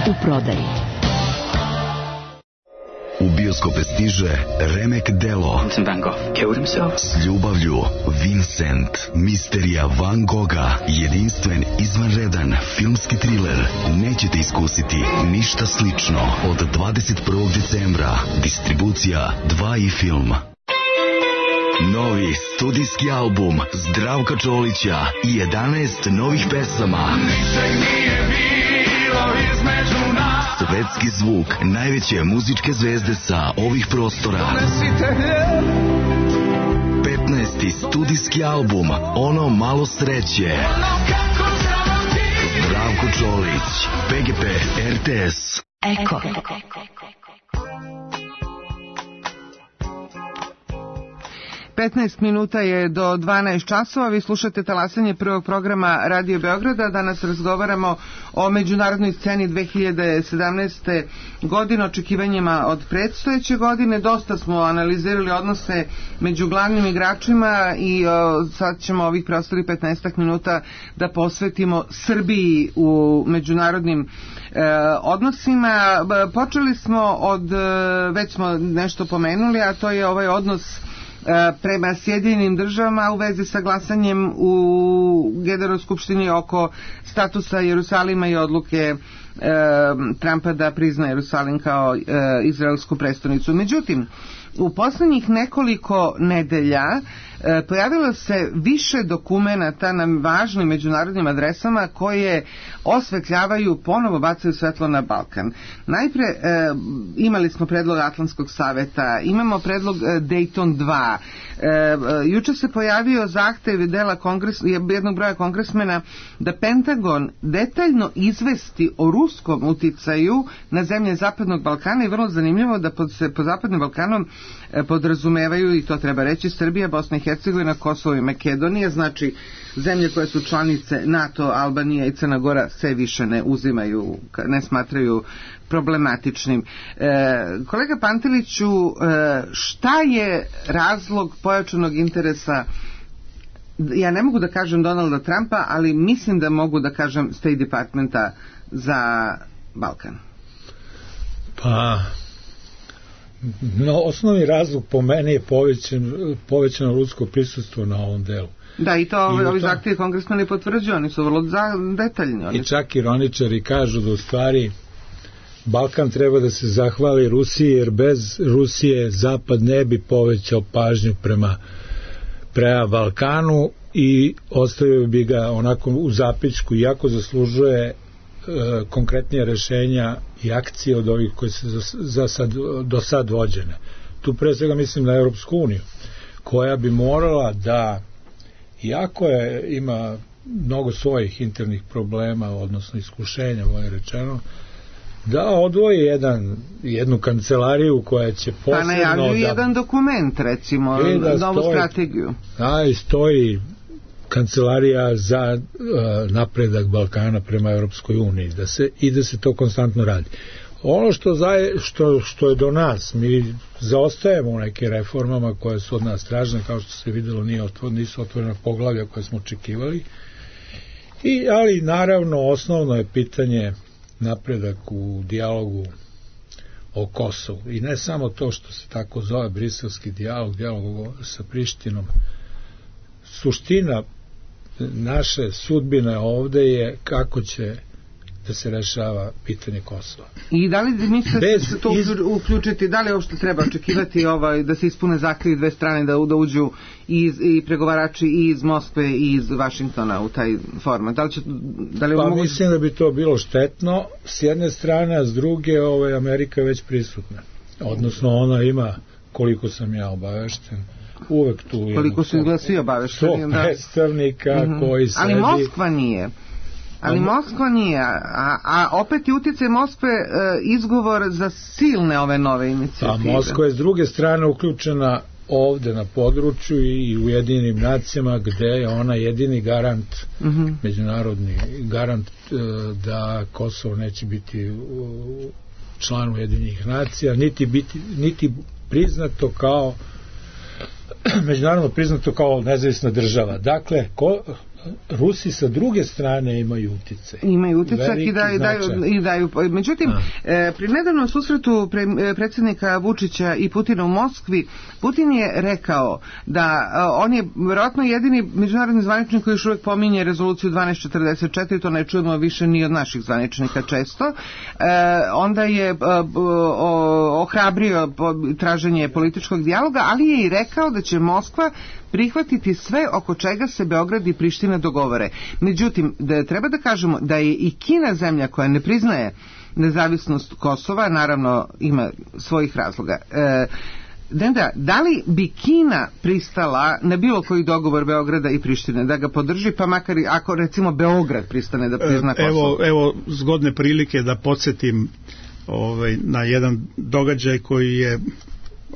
[SPEAKER 11] U prodaji.
[SPEAKER 12] U bioskope stiže Remek Delo.
[SPEAKER 13] Vincent van Gogh killed himself.
[SPEAKER 12] S ljubavlju Vincent, misterija Van Gogha, jedinstven, izvanredan filmski triler. Nećete iskusiti ništa slično. Od dvadeset prvog decembra distribucija dva i film. Novi studijski album Zdravka Čolića i jedanaest novih pesama. Svetski zvuk najveće muzičke zvezde sa ovih prostora. petnaesti studijski album Ono malo sreće. Zdravko Čolić, P G P, R T S.
[SPEAKER 11] Eko.
[SPEAKER 4] petnaest minuta je do dvanaest časova. Vi slušate talasanje prvog programa Radio Beograda. Danas razgovaramo o međunarodnoj sceni dve hiljade sedamnaeste. godine, očekivanjima od predstojeće godine. Dosta smo analizirali odnose među glavnim igračima i o, sad ćemo ovih preostalih petnaest minuta da posvetimo Srbiji u međunarodnim e, odnosima. Počeli smo od, već smo nešto pomenuli, a to je ovaj odnos prema Sjedinjenim državama u vezi sa glasanjem u Generalnoj skupštini oko statusa Jerusalima i odluke e, Trumpa da prizna Jerusalim kao e, izraelsku prestonicu. Međutim, u poslednjih nekoliko nedelja e, pojavilo se više dokumenata na važnim međunarodnim adresama koje osvetljavaju, ponovo bacaju svetlo na Balkan. Najpre e, imali smo predlog Atlantskog saveta, imamo predlog e, Dayton dva. E, juče se pojavio zahtev dela kongres, jednog broja kongresmena da Pentagon detaljno izvesti o ruskom uticaju na zemlje Zapadnog Balkana i vrlo zanimljivo da pod, se po Zapadnim Balkanom e, podrazumevaju, i to treba reći, Srbija, Bosna i Hercegovina, Kosovo i Makedonija, znači zemlje koje su članice NATO, Albanija i Crna Gora se više ne uzimaju, ne smatraju problematičnim. E, kolega Panteliću, e, šta je razlog pojačanog interesa, ja ne mogu da kažem Donalda Trumpa, ali mislim da mogu da kažem State Departmenta za Balkan?
[SPEAKER 3] Pa, no, osnovni razlog po meni je povećan, povećano rusko prisustvo na ovom delu.
[SPEAKER 4] Da, i to I ovi to... zahtjevi kongresmeni potvrđuju, oni su vrlo detaljni. Oni
[SPEAKER 3] I čak ironičari kažu da u stvari Balkan treba da se zahvali Rusiji, jer bez Rusije Zapad ne bi povećao pažnju prema, prema Balkanu i ostavio bi ga onako u zapičku, iako zaslužuje e, konkretnije rešenja i akcije od ovih koje se za, za sad, do sad vođene. Tu pre svega mislim na Europsku uniju, koja bi morala da, iako je, ima mnogo svojih internih problema, odnosno iskušenja, bolje rečeno, da odvoji jedan, jednu kancelariju koja će posebno...
[SPEAKER 4] Pa najavljuju da, jedan dokument, recimo, da novu stoji, strategiju.
[SPEAKER 3] Da, i stoji kancelarija za uh, napredak Balkana prema Europskoj uniji, da se, i da se to konstantno radi. Ono što, zaje, što, što je do nas, mi zaostajemo u nekim reformama koje su od nas tražene, kao što se videlo, nije otvor, nisu otvorena poglavlja koje smo očekivali, I, ali naravno osnovno je pitanje napredak u dijalogu o Kosovu. I ne samo to što se tako zove briselski dijalog, dijalog sa Prištinom. Suština naše sudbine ovde je kako će da se rešava pitanje Kosova.
[SPEAKER 4] I da li mislite se to iz... uključiti, da li uopšte treba očekivati ovaj, da se ispune zahtjevi dve strane, da, da uđu i, i pregovarači i iz Moskve i iz Vašingtona u taj format? Da li će, da li
[SPEAKER 3] pa
[SPEAKER 4] mogu...
[SPEAKER 3] mislim da bi to bilo štetno s jedne strane, a s druge ovaj, Amerika je već prisutna. Odnosno ona ima, koliko sam ja obavešten, uvek tu
[SPEAKER 4] koliko su izgleda svi obavešteni,
[SPEAKER 3] da. predstavnika mm-hmm. koji sedi.
[SPEAKER 4] Ali Moskva nije. Ali Moskva nije, a, a opet je utjecaj Moskve e, izgovor za silne ove nove inicijative.
[SPEAKER 3] A Moskva je s druge strane uključena ovde na području i u Ujedinjenim nacijama, gde je ona jedini garant, mm-hmm. međunarodni garant e, da Kosovo neće biti u, član Ujedinjenih nacija, niti, biti, niti priznato kao međunarodno priznato kao nezavisna država. Dakle, ko, Rusi sa druge strane imaju uticaj.
[SPEAKER 4] Imaju uticaj i daju, daju, i daju. Međutim, e, pri nedavnom susretu pre, predsjednika Vučića i Putina u Moskvi, Putin je rekao da a, on je vjerojatno jedini međunarodni zvaničnik koji još uvijek pominje rezoluciju dvanaest četrdeset četiri, to ne čujemo više ni od naših zvaničnika često. E, onda je a, o, ohrabrio traženje političkog dijaloga, ali je i rekao da će Moskva prihvatiti sve oko čega se Beograd i Priština dogovore. Međutim, da treba da kažemo da je i Kina zemlja koja ne priznaje nezavisnost Kosova, naravno ima svojih razloga. E, Denda, da li bi Kina pristala na bilo koji dogovor Beograda i Prištine, da ga podrži, pa makar i ako recimo Beograd pristane da prizna Kosovo?
[SPEAKER 6] Evo, evo zgodne prilike da podsjetim ovaj, na jedan događaj koji je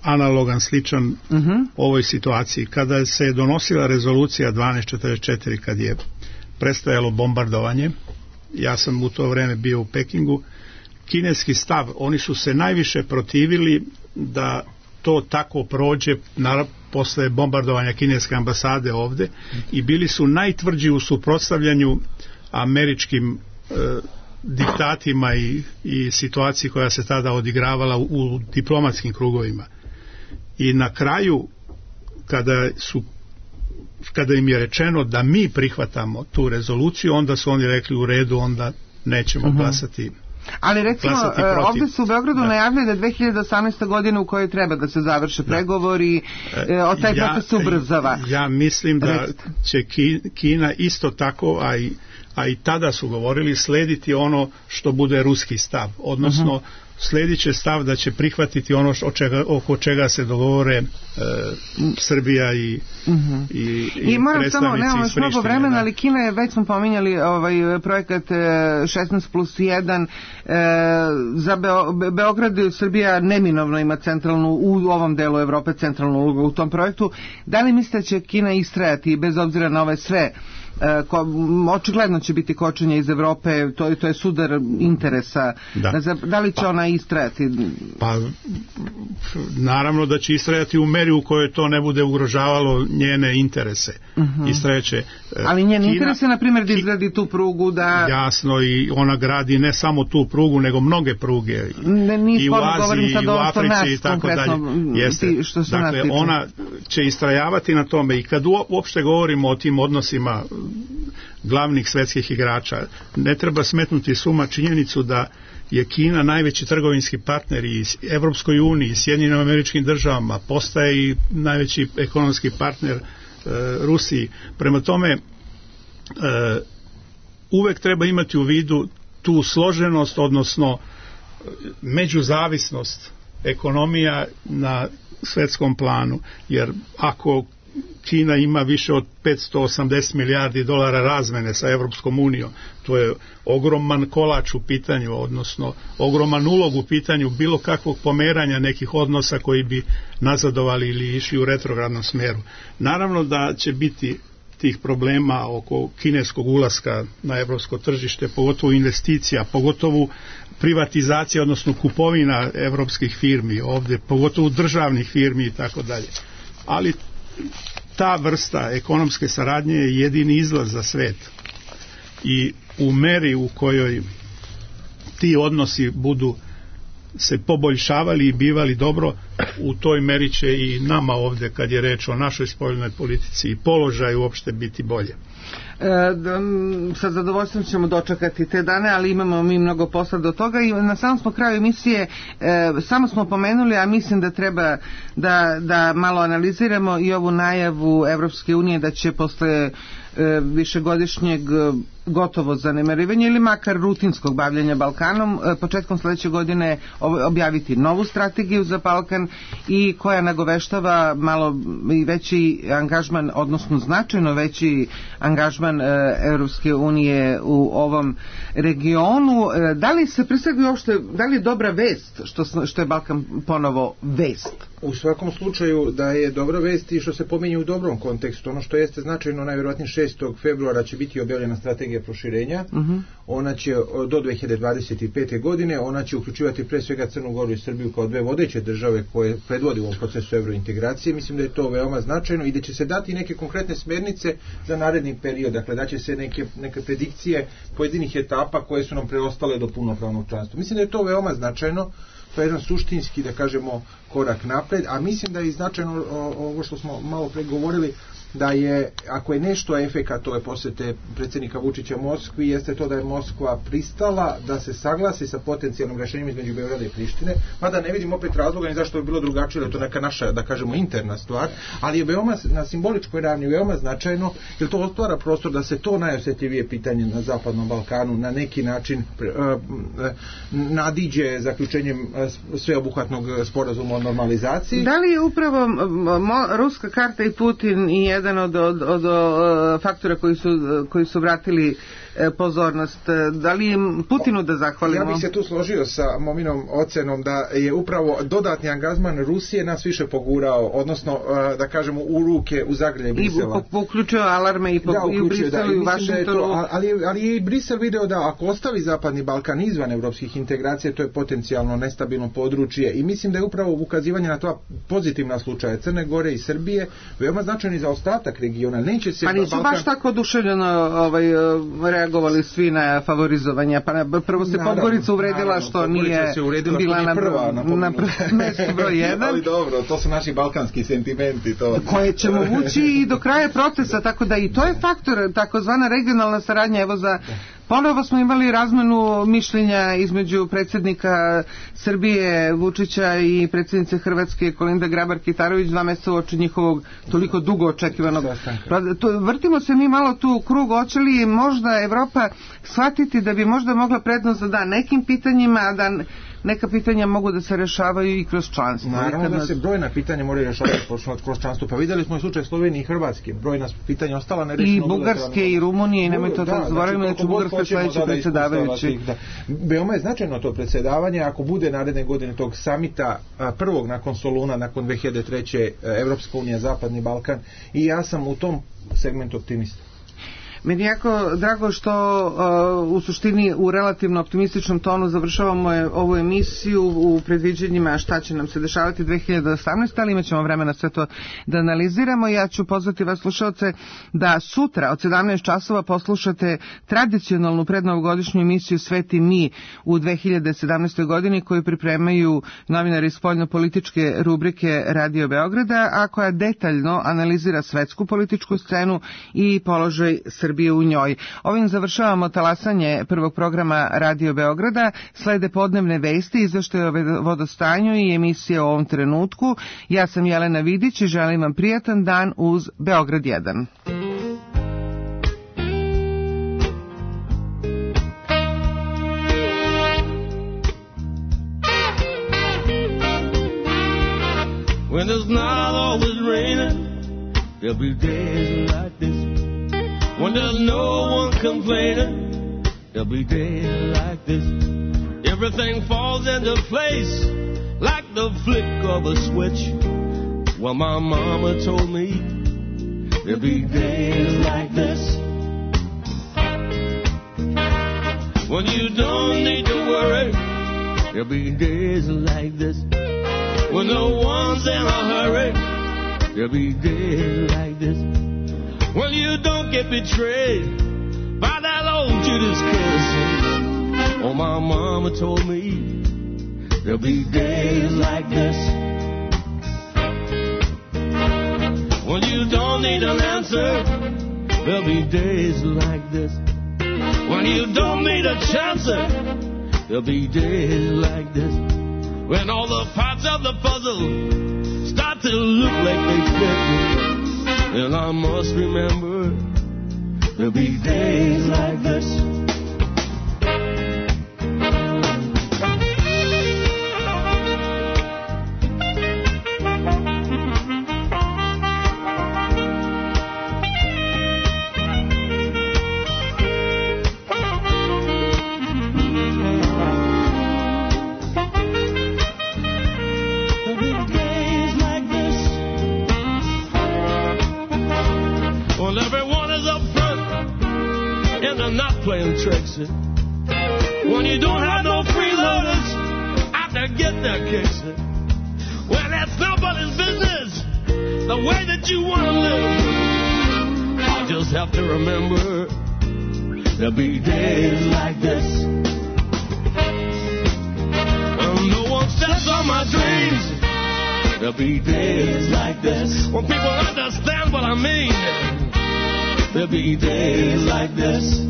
[SPEAKER 6] analogan, sličan uh-huh. ovoj situaciji. Kada se je donosila rezolucija dvanaest četrdeset četiri, kad je prestajalo bombardovanje, ja sam u to vreme bio u Pekingu, kineski stav, oni su se najviše protivili da to tako prođe naravno posle bombardovanja kineske ambasade ovde i bili su najtvrđi u suprotstavljanju američkim e, diktatima i, i situaciji koja se tada odigravala u, u diplomatskim krugovima. I na kraju, kada su kada im je rečeno da mi prihvatamo tu rezoluciju, onda su oni rekli u redu, onda nećemo uh-huh. glasati.
[SPEAKER 4] Ali recimo, ovdje su u Beogradu da. najavili da dve hiljade osamnaeste. godine u kojoj treba da se završe da. pregovori, e, od taj ja, proces se ubrzava.
[SPEAKER 6] Ja mislim da će Kina isto tako, a i, a i tada su govorili, slediti ono što bude ruski stav, odnosno uh-huh. sledit će stav da će prihvatiti ono što, čega, oko čega se dogovore e, Srbija i, uh-huh. i, i,
[SPEAKER 4] I moram samo, nemamo još mnogo vremena, da. ali Kina je, već smo pominjali ovaj projekat šesnaest plus jedan, e, za Beo, Beograd i Srbija neminovno ima centralnu, u ovom delu Evrope centralnu ulogu u tom projektu. Da li mislite da će Kina istrajati bez obzira na ove sve Ko, očigledno će biti kočenje iz Evrope, to, to je sudar interesa. Da. Da li će ona istrajati?
[SPEAKER 6] Pa, naravno da će istrajati u meri u kojoj to ne bude ugrožavalo njene interese. Uh-huh. Istrajaće.
[SPEAKER 4] Ali njen Kina, interes je, na primjer, da izgradi tu prugu, da...
[SPEAKER 6] Jasno, i ona gradi ne samo tu prugu, nego mnoge pruge.
[SPEAKER 4] Ne,
[SPEAKER 6] I u Aziji, i u Africi, i tako dalje. Jeste.
[SPEAKER 4] Što se
[SPEAKER 6] dakle, ona će istrajavati na tome i kad uopšte govorimo o tim odnosima glavnih svetskih igrača, ne treba smetnuti suma činjenicu da je Kina najveći trgovinski partner i Evropskoj uniji, Sjedinjenim Američkim Državama, postaje i najveći ekonomski partner e, Rusiji. Prema tome, e, uvek treba imati u vidu tu složenost, odnosno međuzavisnost ekonomija na svetskom planu, jer ako Kina ima više od petsto osamdeset milijardi dolara razmene sa Evropskom unijom. To je ogroman kolač u pitanju, odnosno ogroman ulog u pitanju bilo kakvog pomeranja nekih odnosa koji bi nazadovali ili išli u retrogradnom smeru. Naravno da će biti tih problema oko kineskog ulaska na evropsko tržište, pogotovo investicija, pogotovo privatizacija, odnosno kupovina evropskih firmi ovdje, pogotovo državnih firmi i tako dalje. Ali ta vrsta ekonomske saradnje je jedini izlaz za svet i u meri u kojoj ti odnosi budu se poboljšavali i bivali dobro, u toj meri će i nama ovdje, kad je reč o našoj spoljnoj politici i položaju, uopšte biti bolje.
[SPEAKER 4] E, sa zadovoljstvom ćemo dočekati te dane, ali imamo mi mnogo posla do toga i na samom smo kraju emisije e, samo smo pomenuli, a mislim da treba da, da malo analiziramo i ovu najavu Evropske unije da će posle e, višegodišnjeg gotovo zanemarivanja ili makar rutinskog bavljenja Balkanom e, početkom sledeće godine objaviti novu strategiju za Balkan i koja nagoveštava malo i veći angažman, odnosno značajno veći angažman Evropske unije u ovom regionu. Da li se predstavlja uopšte, da li je dobra vest što, što je Balkan ponovo vest?
[SPEAKER 7] U svakom slučaju da je dobra vest i što se pominje u dobrom kontekstu. Ono što jeste značajno, najvjerojatnije šestog februara će biti objavljena strategija proširenja. Uh-huh. Ona će do dve hiljade dvadeset pete. godine, ona će uključivati pre svega Crnu Goru i Srbiju kao dve vodeće države koje predvodi u ovom procesu evrointegracije. Mislim da je to veoma značajno i da će se dati neke konkretne smernice za naredni period. Dakle, da će se neke, neke predikcije pojedinih etapa koje su nam preostale do punopravnog članstva. Mislim da je to veoma značajno. To je jedan suštinski, da kažemo, korak napred, a mislim da je značajno ovo što smo malo pre govorili, da je, ako je nešto efekat ove posete predsjednika Vučića Moskvi, jeste to da je Moskva pristala da se saglasi sa potencijalnim rešenjem između Beograda i Prištine, mada ne vidim opet razloga ni zašto bi bilo drugačije, jer to neka naša, da kažemo, interna stvar, ali je veoma na simboličkoj ravni veoma značajno, jer to otvara prostor da se to najosjetljivije pitanje na Zapadnom Balkanu na neki način uh, nadiđe zaključenjem uh, sveobuhvatnog sporazuma o normalizaciji.
[SPEAKER 4] Da li je upravo mo, ruska karta i Putin i jedan od, od, od, od faktora koji su, koji su vratili pozornost? Da li im Putinu da zahvalimo?
[SPEAKER 7] Ja bih se tu složio sa Mominom ocenom da je upravo dodatni angažman Rusije nas više pogurao, odnosno da kažemo u ruke, u zagrlje Brisela.
[SPEAKER 4] I uključio alarme i, po, da, i u Briselu i u Vašingtonu.
[SPEAKER 7] To, ali, ali je i Brisel video da ako ostavi Zapadni Balkan izvan evropskih integracija, to je potencijalno nestabilno područje i mislim da je upravo ukazivanje na to pozitivna slučaja Crne Gore i Srbije veoma značajni za ostatak regiona. Neće se
[SPEAKER 4] pa nisu Balkan... baš tako oduševljeno ovaj, reagovali svi na favorizovanje. Pa prvo se Podgorica uvredila naravno, što nije bila na, prva, na, na mestu broj jedan.
[SPEAKER 7] Ali dobro, to su naši balkanski sentimenti. To.
[SPEAKER 4] Koje ćemo vući i do kraja protesta, tako da i to je faktor, takozvana regionalna saradnja. Evo za ponovo smo imali razmenu mišljenja između predsjednika Srbije Vučića i predsjednice Hrvatske Kolinda Grabar-Kitarović dva mjeseca uoči njihovog toliko dugo očekivanog. To, vrtimo se mi malo tu u krug, hoće li možda Evropa shvatiti da bi možda mogla prednost da da nekim pitanjima, a da neka pitanja mogu da se rešavaju i kroz članstvo.
[SPEAKER 7] Naravno da se brojna pitanja moraju rešavati kroz članstvo. Pa vidjeli smo i slučaj Slovenije i Hrvatske. Brojna pitanja ostala nerešena.
[SPEAKER 4] I Bugarske i Rumunije i nemoj to da zaboravimo da će Bugarska sledeći predsjedavajući.
[SPEAKER 7] Da. Veoma je značajno to predsjedavanje ako bude naredne godine tog samita prvog nakon Soluna, nakon dve hiljade treće. Evropska unija, Zapadni Balkan i ja sam u tom segmentu optimista.
[SPEAKER 4] Meni je jako drago što uh, u suštini u relativno optimističnom tonu završavamo je, ovu emisiju u predviđenjima šta će nam se dešavati dve hiljade osamnaeste. ali imat ćemo vremena sve to da analiziramo. Ja ću pozvati vas slušalce da sutra od sedamnaest časova poslušate tradicionalnu prednovogodišnju emisiju Sveti mi u dve hiljade sedamnaestoj. godini koju pripremaju novinari spoljno-političke rubrike Radio Beograda, a koja detaljno analizira svetsku političku scenu i položaj Srbije u njoj. Ovim završavamo talasanje prvog programa Radio Beograda. Slede podnevne vesti, izveštaje o vodostanju i emisije o ovom trenutku. Ja sam Jelena Vidić i želim vam prijatan dan uz Beograd jedan.
[SPEAKER 13] When it's not always raining, there'll be days like this. When there's no one complaining, there'll be days like this. Everything falls into place like the flick of a switch. Well, my mama told me there'll be days like this. When you don't need to worry, there'll be days like this. When no one's in a hurry, there'll be days like this. When you don't get betrayed by that old Judas kiss. Oh, my mama told me there'll be days like this. When you don't need an answer, there'll be days like this. When you don't need a chance, there'll be days like this. When all the parts of the puzzle start to look like they fit. And I must remember there'll be days like this. There'll be days when they're not playing tricks. When you don't have no freeloaders out there getting their kicks. Well, that's nobody's business, the way that you want to live. I'll just have to remember there'll be days like this. When no one steps on my dreams, there'll be days like this. When people understand what I mean, there'll be days like this.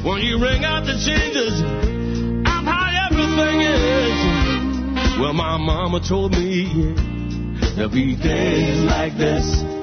[SPEAKER 13] When you ring out the changes of how everything is. Well, my mama told me there'll be days like this.